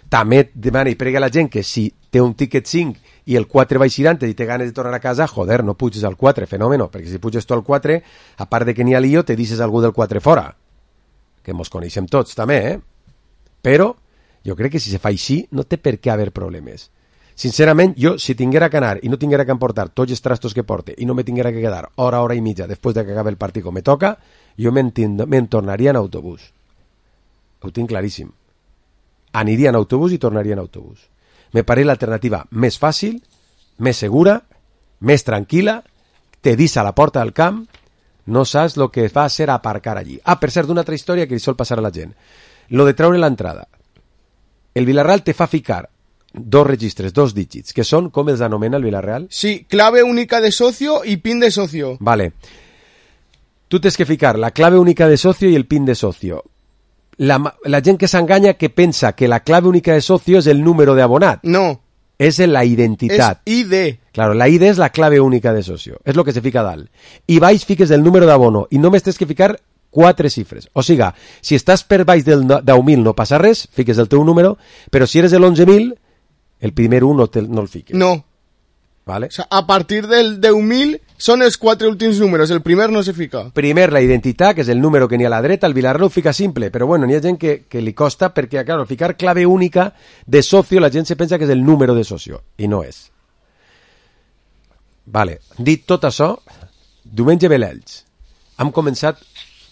També demana i prega a la gent que si té un tiquet cinc i el quatre va eixirant i té ganes de tornar a casa, joder, no puges al quatre, fenòmeno, perquè si puges tu al quatre, a part de que n'hi ha lío, te deixes algú del quatre fora. Que mos coneixem tots, també, eh? Però jo crec que si se fa així no té per què haver problemes. Sincerament, jo, si tinguera que anar i no tinguera que emportar tots els trastos que porte i no me tinguera que quedar hora, hora i mitja després de que acabi el partit com me toca, jo me'n tornaria en autobús. Ho tinc claríssim. Aniria en autobús i tornaria en autobús. Me pareix l'alternativa més fàcil, més segura, més tranquil·la, te deixa a la porta del camp, no saps el que va a ser aparcar allí. Ah, per cert, una altra història que li sol passar a la gent. Lo de treure l'entrada. El Villarreal te fa ficar dos registres, dos dígits, que són, com els anomena el Villarreal? Sí, clave única de socio y pin de socio. Vale. Tu tens que ficar la clave única de socio y el pin de socio. La, la gent que s'enganya que pensa que la clave única de socio és el número de abonat. No. És la identitat. És I D. Claro, la I D és la clave única de socio. És lo que se fica a dalt. I baix fiques el número d'abono i només tens que ficar quatre xifres. O siga, si estàs per baix del deu mil no passa res, fiques el teu número, però si eres el onze mil, el primer un no, te, no el fiques. No. Vale. O sea, a partir del deu mil són els quatre últims números, el primer no se fica. Primer la identitat, que és el número que n'hi ha a la dreta, el Villarreal ho fica simple, però bueno, n'hi ha gent que, que li costa perquè, claro, ficar clave única de socio, la gent se pensa que és el número de socio, i no és. Vale, dit tot això, diumenge ve l'Elx. Hem començat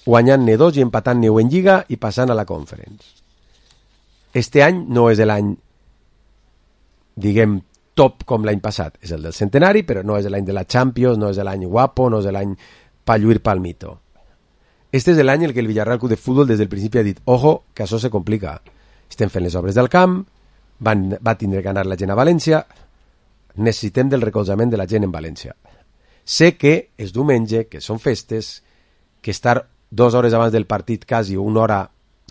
guanyant-ne dos i empatant-ne en Lliga i passant a la Conference. Este any no és l'any, diguem, top com l'any passat. És el del centenari, però no és l'any de la Champions, no és l'any guapo, no és l'any pa lluir palmito. Este és l'any en què el Villarreal Club de Futbol des del principi ha dit, ojo, que això se complica. Estem fent les obres del camp, van, va tindre que anar la gent a València, necessitem del recolzament de la gent en València. Sé que és diumenge, que són festes, que estar dues hores abans del partit quasi, una hora,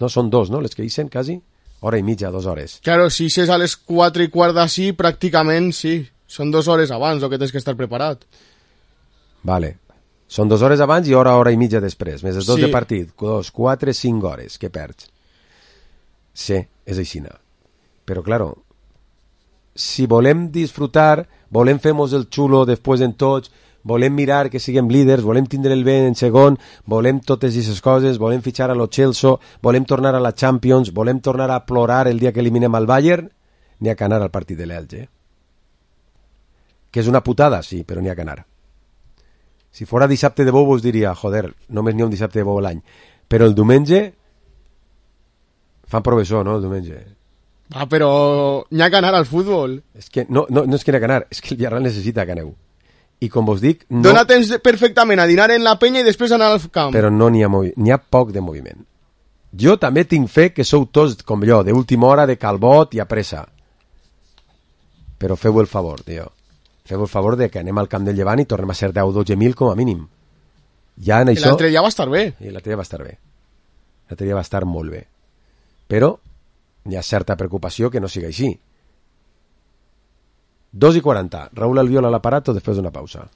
no, són dos, no?, les que dicen, quasi, hora i mitja, dues hores. Claro, si és a les quatre i quart d'ací, pràcticament sí, són dues hores abans el que tens que estar preparat. Vale, són dues hores abans i hora, hora i mitja després, més els dos sí. de partit, dos, quatre, cinc hores, que perds. Sí, és aixina. Però, claro, si volem disfrutar, volem fer-nos el xulo després en tots, volem mirar que siguem líders, volem tindre el bé en segon, volem totes aquestes coses, volem fitxar a lo Chelsea, volem tornar a la Champions, volem tornar a plorar el dia que eliminem al Bayern, n'hi ha que anar al partit de l'Elx, eh? Que és una putada, sí, però n'hi ha que anar. Si fora dissabte de bou us diria, joder, només n'hi ha un dissabte de bou l'any, però el diumenge fan professor, no, el diumenge. Ah, però n'hi ha que anar al futbol. És que no, no, no és que n'hi ha que anar, és que el Villarreal necessita que aneu. I com vos dic... No... Dona temps perfectament a dinar en la penya i després anar al camp. Però no n'hi ha, movi... n'hi ha poc de moviment. Jo també tinc fe que sou tots com jo, d'última hora, de calbot i a pressa. Però feu el favor, tio. Feu el favor de que anem al camp del Llevant i tornem a ser deu o dotze mil com a mínim. Ja en això... L'altre dia va estar bé. I l'altre dia va estar bé. L'altre dia va estar molt bé. Però hi ha certa preocupació que no sigui així. dos y cuarenta. Raúl Albiol al aparato después de una pausa.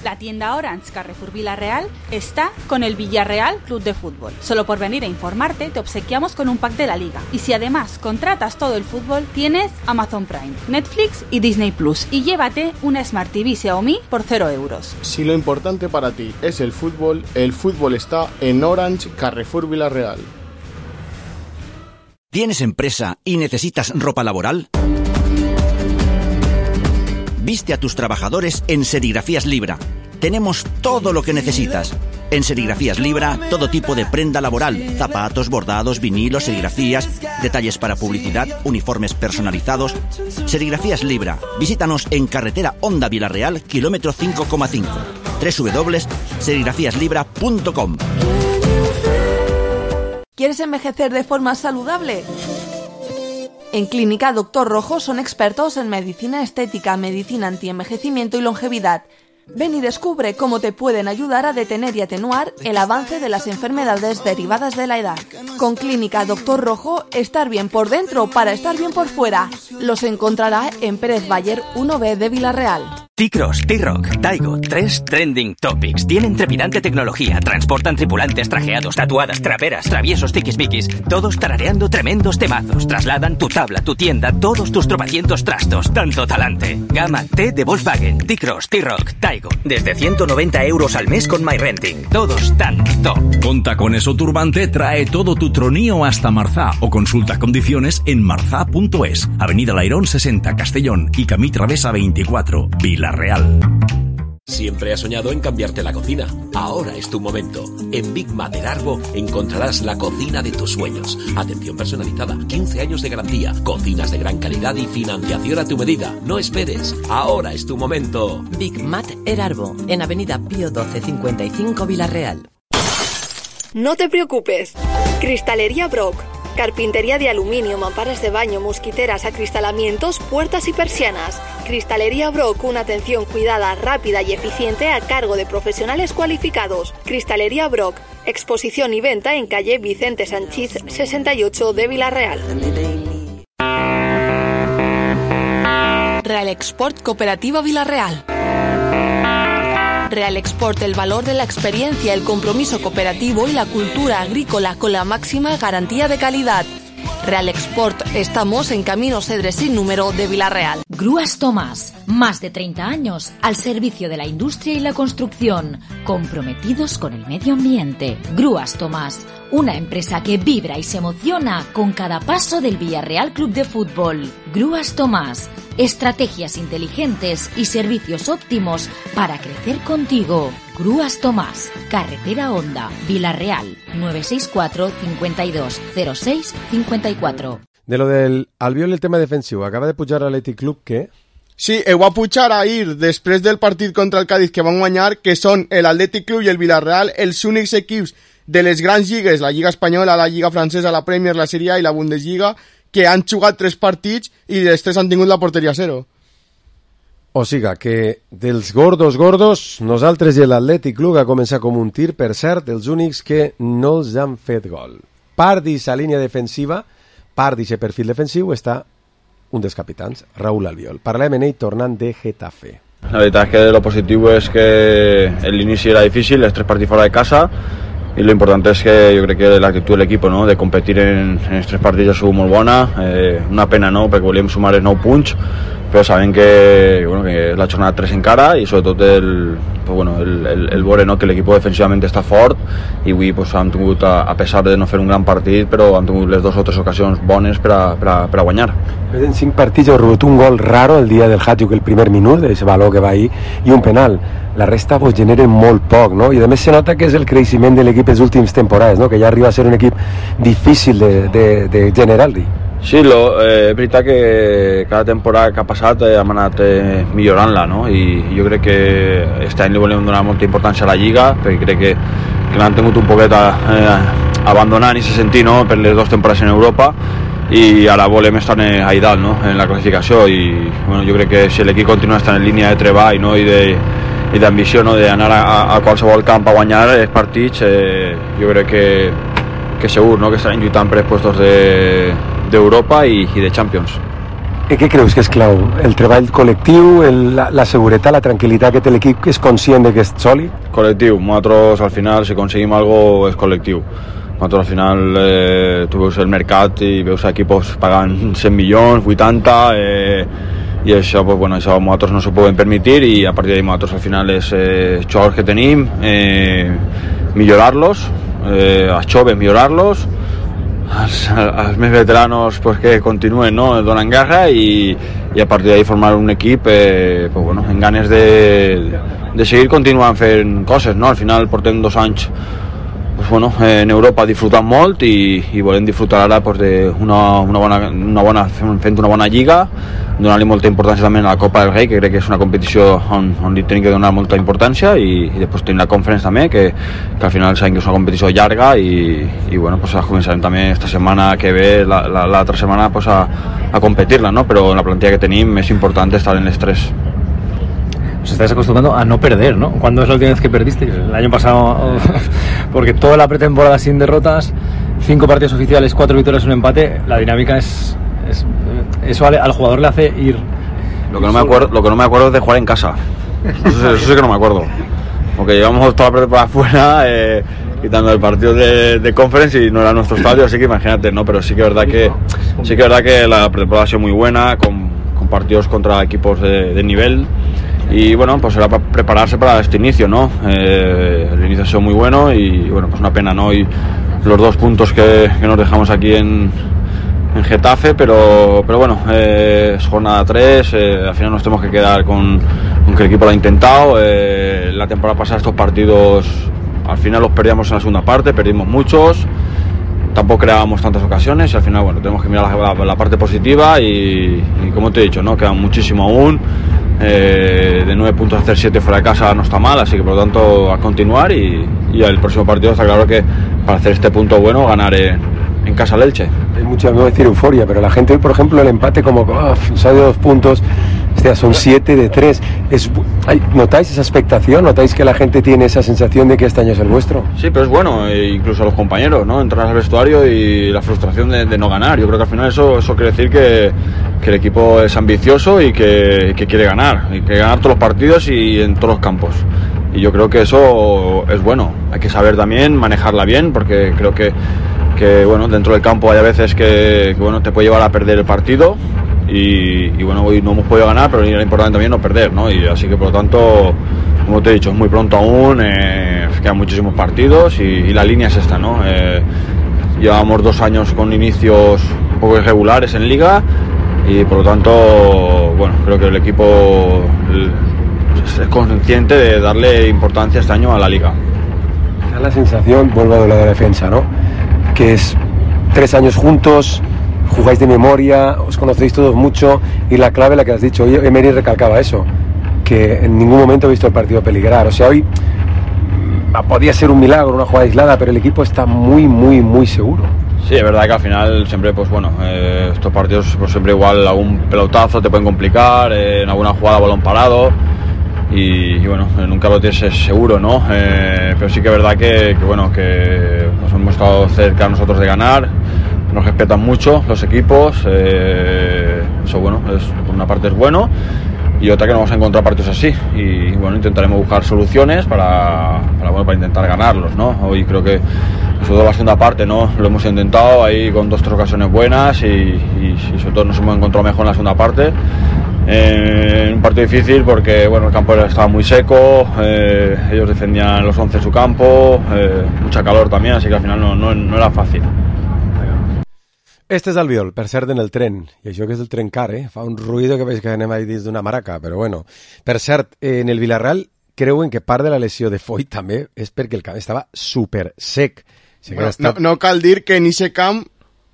La tienda Orange Carrefour Villarreal está con el Villarreal Club de Fútbol. Solo por venir a informarte te obsequiamos con un pack de la liga. Y si además contratas todo el fútbol, tienes Amazon Prime, Netflix y Disney Plus. Y llévate una Smart T V Xiaomi por cero euros. Si lo importante para ti es el fútbol, el fútbol está en Orange Carrefour Villarreal. ¿Tienes empresa y necesitas ropa laboral? Viste a tus trabajadores en Serigrafías Libra. Tenemos todo lo que necesitas. En Serigrafías Libra, todo tipo de prenda laboral, zapatos, bordados, vinilos, serigrafías, detalles para publicidad, uniformes personalizados. Serigrafías Libra. Visítanos en carretera Honda Villarreal, kilómetro cinco coma cinco. doble u doble u doble u punto serigrafías libra punto com. ¿Quieres envejecer de forma saludable? En Clínica Doctor Rojo son expertos en medicina estética, medicina antienvejecimiento y longevidad. Ven y descubre cómo te pueden ayudar a detener y atenuar el avance de las enfermedades derivadas de la edad. Con Clínica Doctor Rojo, estar bien por dentro para estar bien por fuera. Los encontrará en Pérez Bayer uno B de Villarreal. T-Cross, T-Rock, Taigo, tres trending topics. Tienen trepidante tecnología, transportan tripulantes trajeados, tatuadas, traperas, traviesos, tiquismiquis, todos tarareando tremendos temazos. Trasladan tu tabla, tu tienda, todos tus tropecientos trastos. Tanto talante. Gama T de Volkswagen, T-Cross, T-Rock, Taigo. Desde ciento noventa euros al mes con MyRenting. Todos tan top. Con Tacones o Turbante trae todo tu tronío hasta Marzá o consulta condiciones en marzá punto es. Avenida Lairón sesenta, Castellón y Camí Travesa veinticuatro, Villarreal. Siempre has soñado en cambiarte la cocina. Ahora es tu momento. En Big Mater Arbo encontrarás la cocina de tus sueños. Atención personalizada, quince años de garantía, cocinas de gran calidad y financiación a tu medida. No esperes. Ahora es tu momento. Big Mater Arbo, en Avenida Pío doce cincuenta y cinco Villarreal. No te preocupes. Cristalería Brock. Carpintería de aluminio, mamparas de baño, mosquiteras, acristalamientos, puertas y persianas. Cristalería Brock, una atención cuidada, rápida y eficiente a cargo de profesionales cualificados. Cristalería Brock, exposición y venta en calle Vicente Sanchís sesenta y ocho de Villarreal. Real Export Cooperativa Villarreal. Real Export, el valor de la experiencia, el compromiso cooperativo y la cultura agrícola con la máxima garantía de calidad. Real Export, estamos en Camino Cedres sin número de Villarreal. Grúas Tomás, más de treinta años al servicio de la industria y la construcción, comprometidos con el medio ambiente. Grúas Tomás, una empresa que vibra y se emociona con cada paso del Villarreal Club de Fútbol. Grúas Tomás, estrategias inteligentes y servicios óptimos para crecer contigo. Grúas Tomás, Carretera Honda, Villarreal, nueve seis cuatro, cincuenta y dos, cero seis, cincuenta y cuatro. De lo del Albiol, el tema defensiu, acaba de pujar l'Atlètic Club, què? Sí, ho va pujar ahir, després del partit contra el Cádiz que van guanyar, que són l'Atlètic Club i el Villarreal, els únics equips de les grans lligues, la Lliga Espanyola, la Lliga Francesa, la Premier, la Serie A i la Bundesliga, que han jugat tres partits i els tres han tingut la porteria a zero. O siga, que dels gordos gordos, nosaltres i l'Atlètic Club ha començat com un tir, per cert, els únics que no els han fet gol. Part d'aquesta línia defensiva, part d'aquest perfil defensiu, està un dels capitans, Raúl Albiol. Parlem en ell tornant de Getafe. La veritat és que lo positiu és que l'inici era difícil, els tres partits fora de casa, i lo importante és que jo crec que l'actitud de l'equip, no? De competir en, en els tres partits ha sigut molt bona, eh, una pena, no? Perquè volíem sumar els nou punts, però sabem que, bueno, que és la jornada tres encara i sobretot el, pues bueno, el, el, el veure, no? Que l'equip defensivament està fort i avui pues, hem tingut, a, a pesar de no fer un gran partit, però hem tingut les dues o tres ocasions bones per a, per a, per a guanyar. En cinc partits heu rebut un gol raro el dia del Hatchuk, el primer minut, d'aquest valor que va ahir, i un penal. La resta vos generen molt poc, no? I a més se nota que és el creixement de l'equip les últimes temporades, no? Que ja arriba a ser un equip difícil de, de, de generar-li. Sí, lo, eh, és veritat que cada temporada que ha passat eh, hem anat eh, millorant-la, no? I jo crec que aquest any li volem donar molta importància a la Lliga, perquè crec que, que l'han tingut un poquet a, eh, abandonant i se sentir, no? Per les dues temporades en Europa, i ara volem estar a dalt, no? En la classificació, i bueno, jo crec que si l'equip continua estant en línia de treball, no? I de i d'ambició, no? D'anar a, a qualsevol camp a guanyar els partits, eh, jo crec que, que segur, no? Que estaran lluitant per els puestos de, d'Europa i, i de Champions. I què creus que és clau? El treball col·lectiu, el, la, la seguretat, la tranquil·litat que té l'equip, que és conscient de que és sòlid? Col·lectiu. Nosaltres al final, si aconseguim algo, és col·lectiu. Nosaltres al final, eh, tu veus el mercat i veus equipos pagant cent milions, vuitanta, eh, i això, pues, bueno, això nosaltres no s'ho podem permetre i a partir d'ahí nosaltres al final és eh, jugadors que tenim, eh, millorar-los, eh, els joves millorar-los, els, els més veteranos pues, que continuen, no? Donen guerra i, i a partir d'ahí formar un equip eh, pues, bueno, en ganes de, de seguir continuant fent coses, no? Al final portem dos anys pues, bueno, en Europa disfrutant molt i, i volem disfrutar ara pues, de una, una bona, una bona, fent una bona lliga, donar-li molta importància també a la Copa del Rei, que crec que és una competició on, on li tenim que donar molta importància, i, i després tenim la Conference també, que, que al final sabem que és una competició llarga i, i bueno, pues, començarem també esta setmana que ve, l'altra la, la setmana pues, a, a competir-la, ¿no? Però en la plantilla que tenim és important estar en les tres. Os estáis acostumbrando a no perder, ¿no? ¿Cuándo es la última vez que perdisteis? El año pasado, porque toda la pretemporada sin derrotas, cinco partidos oficiales, cuatro victorias, un empate, la dinámica es... es eso al, al jugador le hace ir... Lo que no me acuerdo, lo que no me acuerdo es de jugar en casa. Eso, eso sí que no me acuerdo. Porque llevamos toda la pretemporada afuera, eh, quitando el partido de, de Conference y no era nuestro estadio, así que imagínate, ¿no? Pero sí que es verdad que, sí que, es verdad que la pretemporada ha sido muy buena, con, con partidos contra equipos de, de nivel. Y bueno, pues era para prepararse para este inicio, ¿no? Eh, el inicio ha sido muy bueno y bueno, pues una pena, ¿no? Y los dos puntos que, que nos dejamos aquí en, en Getafe, pero, pero bueno, eh, es jornada tres, eh, al final nos tenemos que quedar con, con que el equipo lo ha intentado. Eh, la temporada pasada estos partidos al final los perdíamos en la segunda parte, perdimos muchos, tampoco creábamos tantas ocasiones y al final bueno, tenemos que mirar la, la, la parte positiva y, y como te he dicho, ¿no? Quedan muchísimo aún. Eh, de nueve puntos a hacer siete fuera de casa no está mal, así que por lo tanto a continuar y, y el próximo partido está claro que para hacer este punto bueno ganar en, en casa al Elche. Hay mucha, no voy a decir euforia, pero la gente hoy, por ejemplo, el empate como oh, sale de dos puntos, hostia, son siete de tres. Es, hay, ¿notáis esa expectación? ¿Notáis que la gente tiene esa sensación de que este año es el vuestro? Sí, pero es bueno, e incluso a los compañeros, ¿no? Entrar al vestuario y la frustración de, de no ganar. Yo creo que al final eso, eso quiere decir que, que el equipo es ambicioso y que, que quiere ganar, y que ganar todos los partidos y en todos los campos. Y yo creo que eso es bueno. Hay que saber también manejarla bien, porque creo que, que bueno, dentro del campo hay a veces que, que bueno, te puede llevar a perder el partido. Y, y bueno, hoy no hemos podido ganar, pero era importante también no perder, ¿no? Y así que por lo tanto, como te he dicho, es muy pronto aún, eh, quedan muchísimos partidos y, y la línea es esta, ¿no? Eh, llevamos dos años con inicios un poco irregulares en Liga y por lo tanto, bueno, creo que el equipo es consciente de darle importancia este año a la Liga. Da la sensación, vuelvo a lo de la defensa, ¿no? Que es tres años juntos, jugáis de memoria, os conocéis todos mucho y la clave la que has dicho, hoy Emery recalcaba eso, que en ningún momento he visto el partido peligrar, o sea, hoy podía ser un milagro, una jugada aislada, pero el equipo está muy, muy, muy seguro. Sí, es verdad que al final siempre, pues bueno, eh, estos partidos pues siempre igual algún pelotazo te pueden complicar, eh, en alguna jugada balón parado y, y bueno, nunca lo tienes seguro, ¿no? Eh, pero sí que es verdad que, que bueno, que nos hemos estado cerca nosotros de ganar. Nos respetan mucho los equipos, eh, eso bueno, es, por una parte es bueno y otra que no vamos a encontrar partidos así y bueno, intentaremos buscar soluciones para, para, bueno, para intentar ganarlos, ¿no? Hoy creo que sobre todo la segunda parte, ¿no? Lo hemos intentado ahí con dos tres ocasiones buenas y, y, y sobre todo nos hemos encontrado mejor en la segunda parte. Eh, un partido difícil porque bueno, el campo estaba muy seco, eh, ellos defendían los once en su campo, eh, mucha calor también, así que al final no, no, no era fácil. Este és Albiol, per cert, en el tren. I això que és el tren car, eh? Fa un ruïdo que veig que anem ahí dins d'una maraca, però bueno. Per cert, en el Villarreal creuen que part de la lesió de Foyt també és perquè el camp estava super sec. Si bueno, estat... no, no cal dir que en ese camp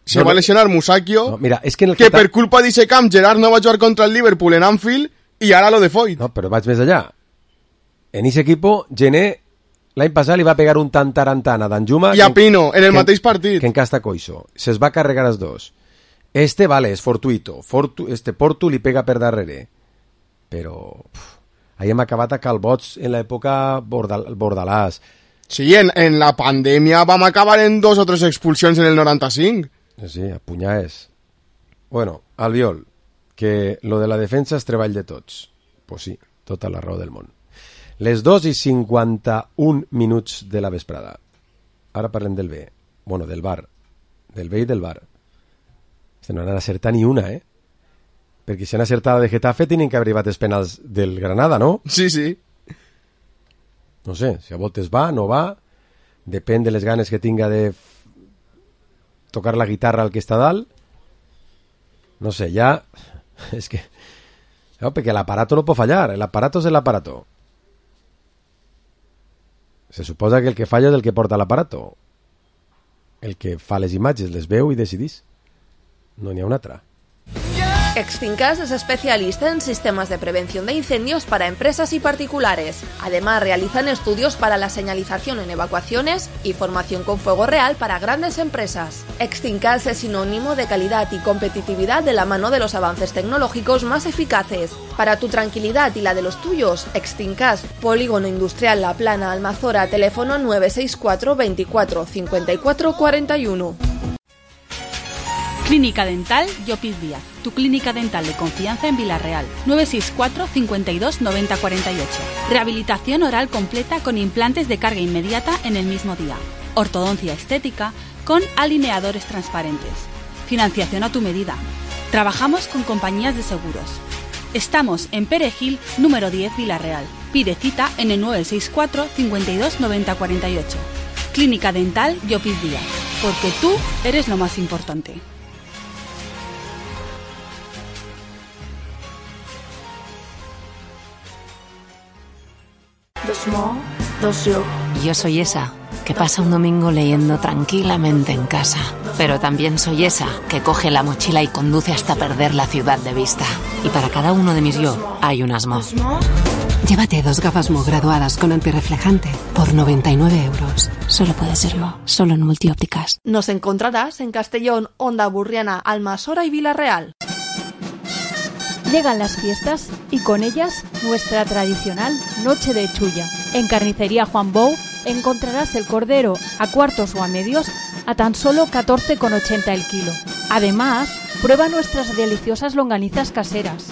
se no, va a lesionar Musacchio, no, mira, és que, en el que Getafe... per culpa d'ese camp Gerard no va jugar contra el Liverpool en Anfield i ara lo de Foyt. No, però vaig més allà. En ese equipo, Gené l'any passat li va pegar un tantarantan a Danjuma i a Pino, en el que, mateix partit. Que encasta Coixo. Se'ls va carregar els dos. Este, vale, és fortuito. Fortu, este Portu li pega per darrere. Però... Uf, ahí hem acabat a calbots en l'època Bordal, Bordalàs. Sí, en, en la pandèmia vam acabar en dos o tres expulsions en el noranta-cinc. Sí, a punyades. Bueno, Albiol, que lo de la defensa és treball de tots. Pues sí, tota la raó del món. Les dos i cinquanta-un minuts de la vesprada. Ara parlem del B. Bueno, del bar. Del B i del bar. Este no han acertat ni una, eh? Perquè si han acertat de Getafe tenen que haver arribat els penals del Granada, no? Sí, sí. No sé, si a voltes va, no va. Depèn de les ganes que tinga de tocar la guitarra al que està dalt. No sé, ja... És que... No, perquè l'aparato no pot fallar. L'aparato és l'aparato. Se suposa que el que falla és el que porta l'aparato. El que fa les imatges, les veu i decidís. No n'hi ha una altra. Extinkas es especialista en sistemas de prevención de incendios para empresas y particulares. Además, realizan estudios para la señalización en evacuaciones y formación con fuego real para grandes empresas. Extinkas es sinónimo de calidad y competitividad de la mano de los avances tecnológicos más eficaces. Para tu tranquilidad y la de los tuyos, Extinkas, Polígono Industrial La Plana, Almazora, teléfono nueve seis cuatro veinticuatro cincuenta y cuatro cuarenta y uno. Clínica Dental Llopis Díaz, tu clínica dental de confianza en Villarreal. nueve seis cuatro cincuenta y dos noventa cuarenta y ocho. Rehabilitación oral completa con implantes de carga inmediata en el mismo día. Ortodoncia estética con alineadores transparentes. Financiación a tu medida. Trabajamos con compañías de seguros. Estamos en Perejil, número diez, Villarreal. Pide cita en el nueve seis cuatro cincuenta y dos noventa cuarenta y ocho. Clínica Dental Llopis Díaz, porque tú eres lo más importante. Yo soy esa que pasa un domingo leyendo tranquilamente en casa. Pero también soy esa que coge la mochila y conduce hasta perder la ciudad de vista. Y para cada uno de mis yo hay un Asmo. Llévate dos gafas Mo graduadas con antirreflejante por noventa y nueve euros. Solo puede ser Mo, solo en Multiópticas. Nos encontrarás en Castellón, Onda Burriana, Almasora y Villarreal. Llegan las fiestas y con ellas nuestra tradicional Noche de Chulla. En Carnicería Juan Bou encontrarás el cordero a cuartos o a medios a tan solo catorce con ochenta el kilo. Además, prueba nuestras deliciosas longanizas caseras.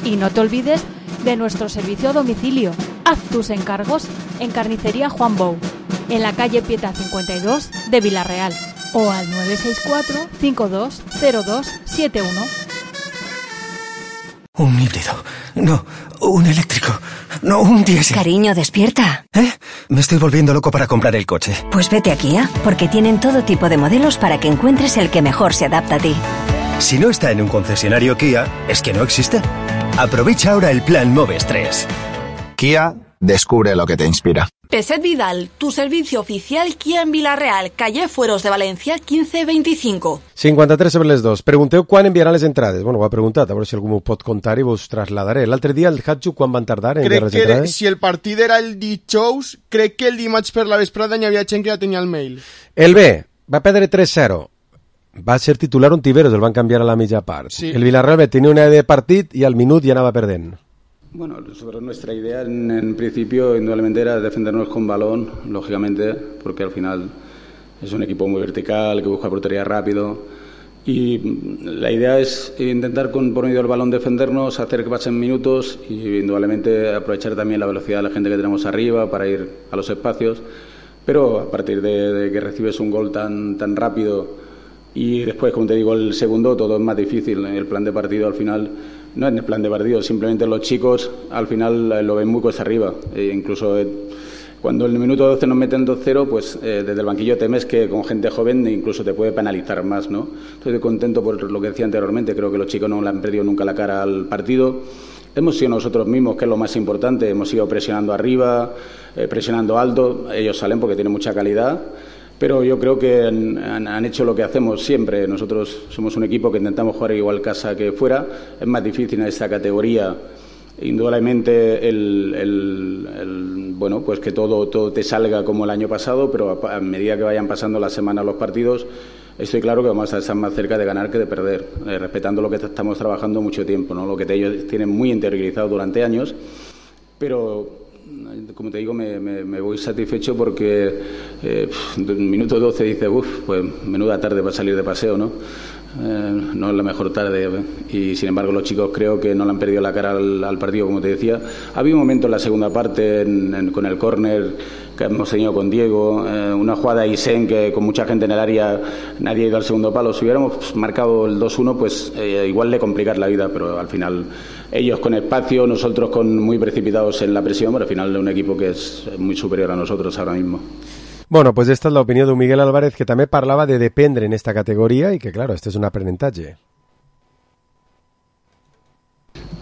Y no te olvides de nuestro servicio a domicilio. Haz tus encargos en Carnicería Juan Bou, en la calle Pieta cincuenta y dos de Villarreal, o al nueve seis cuatro, cinco dos cero dos siete uno. Un híbrido. No, un eléctrico. No, un diésel. Cariño, despierta. ¿Eh? Me estoy volviendo loco para comprar el coche. Pues vete a Kia, porque tienen todo tipo de modelos para que encuentres el que mejor se adapta a ti. Si no está en un concesionario Kia, es que no existe. Aprovecha ahora el plan Moves tres. Kia, descubre lo que te inspira. Peset Vidal, tu servicio oficial Kia en Villarreal, calle Fueros de Valencia, quinze veinticinco. cinquanta-tres sobre les dos. Pregunteu quan enviaran les entrades. Bueno, ho ha preguntat, a veure si algú m'ho pot contar i vos trasladaré. L'altre dia, el Hatchu, quan van tardar en enviar les Crec que entrades? si el partit era el dijous, crec que el dimarts per la vesprada n'hi havia gent que ja tenia el mail. El B va perdre tres zero. Va ser titular un Tiveros, el van canviar a la mitja part. Sí. El Villarreal B tenia una idea de partit i al minut ja anava perdent. Bueno, sobre nuestra idea en, en principio indudablemente era defendernos con balón, lógicamente, porque al final es un equipo muy vertical, que busca portería rápido y la idea es intentar con por medio del balón defendernos, hacer que pasen minutos y indudablemente aprovechar también la velocidad de la gente que tenemos arriba para ir a los espacios, pero a partir de, de que recibes un gol tan, tan rápido y después, como te digo, el segundo todo es más difícil. El plan de partido al final no es el plan de partido, simplemente los chicos al final lo ven muy cuesta arriba. E incluso eh, cuando en el minuto doce nos meten dos cero, pues eh, desde el banquillo temes que con gente joven incluso te puede penalizar más, ¿no? Estoy contento por lo que decía anteriormente, creo que los chicos no le han perdido nunca la cara al partido. Hemos sido nosotros mismos, que es lo más importante, hemos ido presionando arriba, eh, presionando alto, ellos salen porque tienen mucha calidad. Pero yo creo que han, han, han hecho lo que hacemos siempre. Nosotros somos un equipo que intentamos jugar igual casa que fuera. Es más difícil en esta categoría. Indudablemente el, el, el bueno, pues que todo, todo te salga como el año pasado, pero a, a medida que vayan pasando las semanas los partidos, estoy claro que vamos a estar más cerca de ganar que de perder, eh, respetando lo que estamos trabajando mucho tiempo, ¿no? Lo que ellos tienen muy interiorizado durante años, pero como te digo, me, me, me voy satisfecho porque eh, en el minuto doce dice, uff, pues menuda tarde para salir de paseo, ¿no? Eh, no es la mejor tarde y sin embargo los chicos creo que no le han perdido la cara al, al partido, como te decía. Había un momento en la segunda parte en, en, con el córner que hemos tenido con Diego, eh, una jugada de Isen que con mucha gente en el área nadie ha ido al segundo palo. Si hubiéramos marcado el dos uno, pues eh, igual le complicar la vida, pero al final ellos con espacio, nosotros con muy precipitados en la presión, pero al final de un equipo que es muy superior a nosotros ahora mismo. Bueno, pues esta és l'opinió d'un Miguel Álvarez que també parlava de dependre en esta categoria y que, claro, este es un aprenentatge.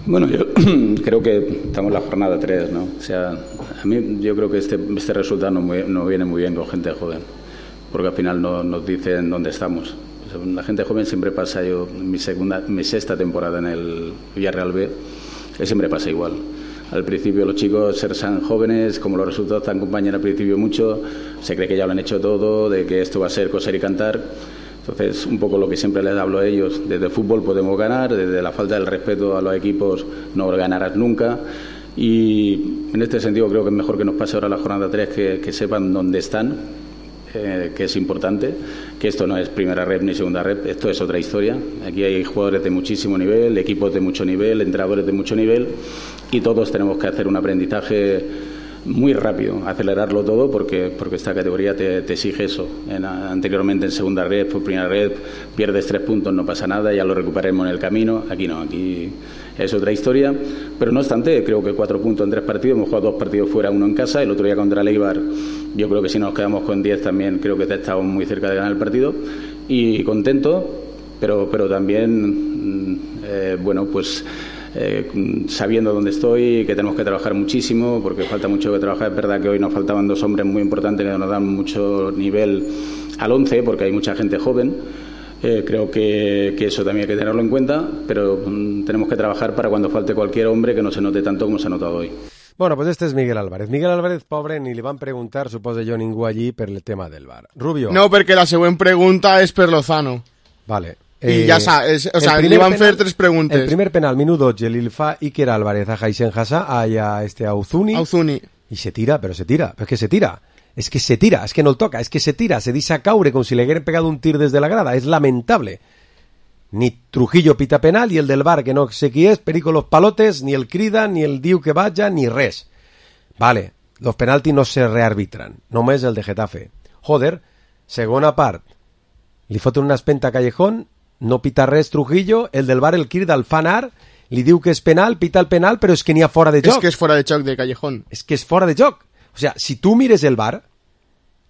Bueno, yo creo que estamos en la jornada tres, ¿no? O sea, a mí yo creo que este, este resultado no, muy, no viene muy bien con gente joven, porque al final no, nos dicen dónde estamos. O sea, la gente joven siempre pasa, yo mi segunda, mi sexta temporada en el Villarreal B, que siempre pasa igual. Al principio los chicos serán jóvenes, como los resultados te acompañan al principio mucho, se cree que ya lo han hecho todo, de que esto va a ser coser y cantar. Entonces, un poco lo que siempre les hablo a ellos, desde el fútbol podemos ganar, desde la falta del respeto a los equipos no ganarás nunca. Y en este sentido creo que es mejor que nos pase ahora la jornada tres, que, que sepan dónde están, eh, que es importante, que esto no es primera rep ni segunda rep, esto es otra historia. Aquí hay jugadores de muchísimo nivel, equipos de mucho nivel, entrenadores de mucho nivel, y todos tenemos que hacer un aprendizaje muy rápido, acelerarlo todo, porque porque esta categoría te, te exige eso. En, anteriormente en segunda red, por primera red, pierdes tres puntos, no pasa nada, ya lo recuperaremos en el camino. Aquí no, aquí es otra historia, pero no obstante, creo que cuatro puntos en tres partidos, hemos jugado dos partidos fuera, uno en casa, el otro día contra el Eibar, yo creo que si nos quedamos con diez también creo que estamos muy cerca de ganar el partido, y contento, pero, pero también, eh, bueno, pues eh, sabiendo dónde estoy, que tenemos que trabajar muchísimo, porque falta mucho que trabajar. Es verdad que hoy nos faltaban dos hombres muy importantes que nos dan mucho nivel al once, porque hay mucha gente joven. Eh, creo que, que eso también hay que tenerlo en cuenta, pero mm, tenemos que trabajar para cuando falte cualquier hombre que no se note tanto como se ha notado hoy. Bueno, pues este és Miguel Álvarez. Miguel Álvarez, pobre, ni li van preguntar, suposo jo, ningú allí per el tema del V A R. Rubio. No, perquè la següent pregunta és per Lozano. Vale. I eh, ja sa, és, o sea, li van penal, fer tres preguntes. El primer penal, minut dotze, li fa Iker Álvarez a Jaisen Hassa, a, a este Auzuni. Auzuni. Y se tira, pero se tira, pero es que se tira. Es que se tira, es que no el toca, es que se tira, se dice a caure como si le hubieran pegado un tir desde la grada. Es lamentable. Ni Trujillo pita penal y el del V A R, que no sé qui és, perico los palotes, ni el crida, ni el diu que vaya, ni res. Vale, los penaltis no se rearbitran, només el de Getafe. Joder, segona part, li foten una espenta a Callejón, no pita res Trujillo, el del V A R el crida el fa anar, li diu que és penal, pita el penal, però és que n'hi ha fora de joc. És que és fora de joc de Callejón. És que és fora de joc. O sea, si tu mires el V A R,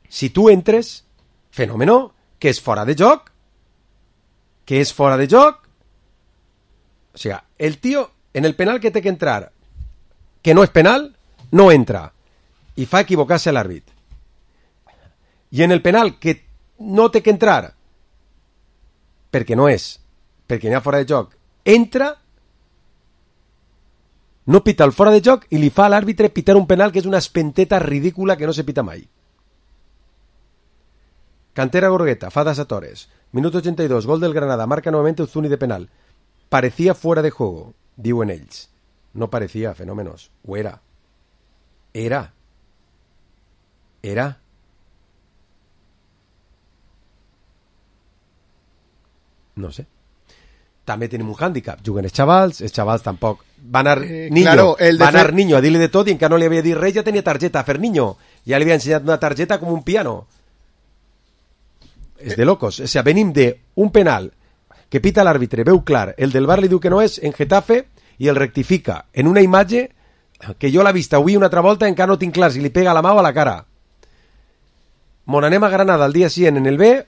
si tu entres, fenómeno, que és fora de joc, que és fora de joc, o sea, el tío, en el penal que té que entrar, que no és penal, no entra i fa equivocar-se l'àrbit. I en el penal que no té que entrar perquè no és, perquè n'hi ha fora de joc, entra, no pita el fora de joc i li fa a l'àrbitre pitar un penal que és una espenteta ridícula que no se pita mai. Cantera Gorgueta, fa das a Torres. Minuto ochenta y dos, gol del Granada, marca nuevamente Uzuni de penal. Parecía fuera de juego, diuen ells. No parecía, fenómenos, o era. Era. Era. No sé. També tenim un hàndicap. Juguen els xavals, els xavals tampoc. Va anar eh, Niño, claro, el va anar fer... Niño a dir-li de tot i encara no li havia dit res, ja tenia targeta a fer Niño. Ja li havia ensenyat una targeta com un piano. És de locos. O sea, venim de un penal que pita l'àrbitre, veu clar, el del V A R li diu que no és en Getafe i el rectifica en una imatge que jo l'he vist avui una altra volta, encara no tinc clar si li pega la mà o a la cara. Mon anem a Granada al dia cent en el B,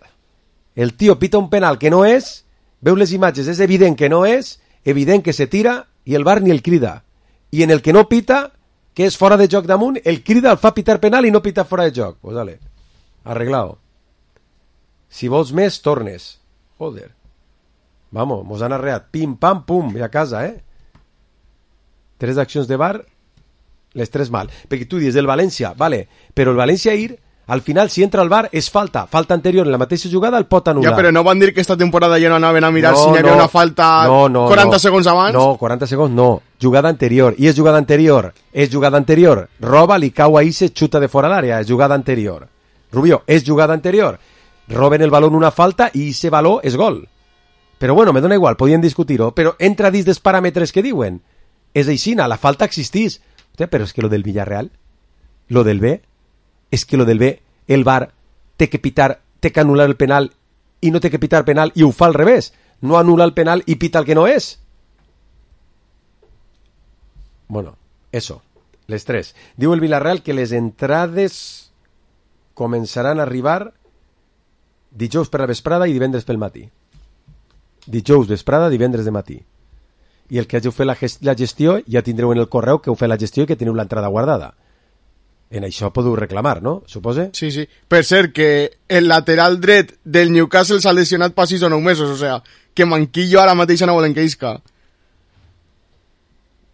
el tio pita un penal que no és, veu les imatges, és evident que no és, evident que se tira i el V A R ni el crida. I en el que no pita, que és fora de joc damunt, el crida, el fa pitar penal i no pita fora de joc. Pues dale, arreglado. Si vols més, tornes. Joder. Vamos, mos han arreat. Pim, pam, pum, i a casa, eh? Tres accions de V A R, les tres mal. Perquè tu dius el València, vale, però el València ahir, al final, si entra al V A R, és falta. Falta anterior en la mateixa jugada, el pot anul·lar. Ja, però no van dir que esta temporada ja no anaven a mirar no, si n'hi havia no, una falta no, no, quaranta no. segons abans? No, quaranta segons no. Jugada anterior. I és jugada anterior. És jugada anterior. Roba, li cau ahí, se xuta de fora l'àrea. És jugada anterior. Rubio, és jugada anterior. Roben el balón una falta i ese baló és gol. Però bueno, me dona igual, podien discutir-ho, però entra dins dels paràmetres que diuen. És aixina, la falta existís. Hòstia, però és que lo del Villarreal, lo del B, és que lo del B, el V A R té que pitar, té que anul·lar el penal i no té que pitar penal i ho fa al revés. No anul·la el penal i pita el que no és. Bueno, eso, les tres. Diu el Villarreal que les entrades començaran a arribar dijous per la vesprada i divendres pel matí. Dijous vesprada, divendres de matí. I el que hàgiu fet la, gest la gestió ja tindreu en el correu que heu fet la gestió i que teniu l'entrada guardada. En això podeu reclamar, no? Supose? Sí, sí. Per cert, que el lateral dret del Newcastle s'ha lesionat pa sis o nou mesos, o sea, que Manquillo ara mateix no volen que isca.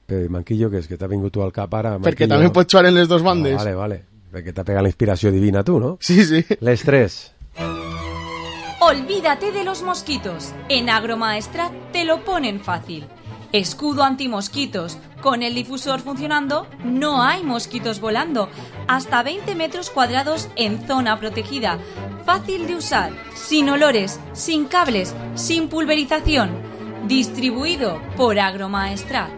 Però Manquillo, que és que t'ha vingut tu al cap ara? Manquillo... Perquè també pot jugar en les dos bandes. No, vale, vale. Perquè t'ha pegat la inspiració divina tu, ¿no? Sí, sí. Les tres. Olvídate de los mosquitos. En Agromaestrat te lo ponen fácil. Escudo antimosquitos. Con el difusor funcionando, no hay mosquitos volando. Hasta veinte metros cuadrados en zona protegida. Fácil de usar, sin olores, sin cables, sin pulverización. Distribuido por Agromaestrat.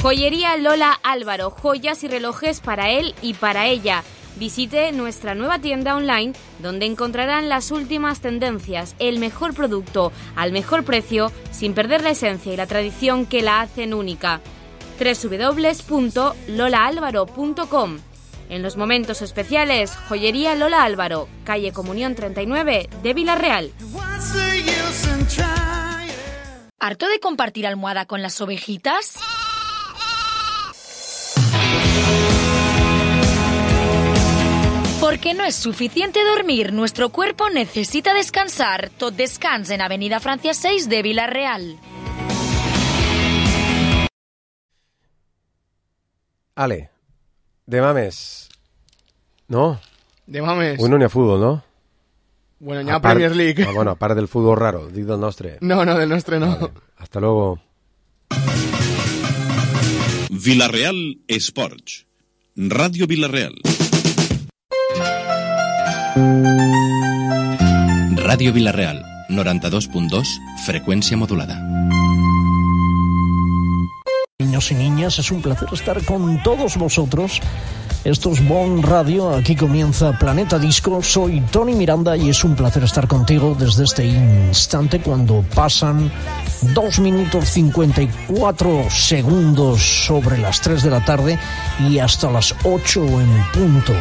Joyería Lola Álvaro, joyas y relojes para él y para ella. Visite nuestra nueva tienda online donde encontrarán las últimas tendencias, el mejor producto al mejor precio sin perder la esencia y la tradición que la hacen única. doble u doble u doble u punto lola álvaro punto com. En los momentos especiales, Joyería Lola Álvaro, calle Comunión treinta y nueve de Villarreal. ¿Harto de compartir almohada con las ovejitas? Porque no es suficiente dormir, nuestro cuerpo necesita descansar. Tot Descans en Avenida Francia seis de Villarreal. Ale, demà més. No? Demà més. Avui no n'hi ha futbol, no? Bueno, n'hi ha Premier League. Ah, bueno, a part del futbol raro, dic del nostre. No, no, del nostre no. Vale. Hasta luego. Villarreal Sports. Radio Villarreal. Radio Villarreal, noranta-dos punt dos, frecuencia modulada. Niños y niñas, es un placer estar con todos vosotros. Esto es Bon Radio, aquí comienza Planeta Disco. Soy Tony Miranda y es un placer estar contigo desde este instante cuando pasan dos minutos cincuenta y cuatro segundos sobre las tres de la tarde y hasta las ocho en punto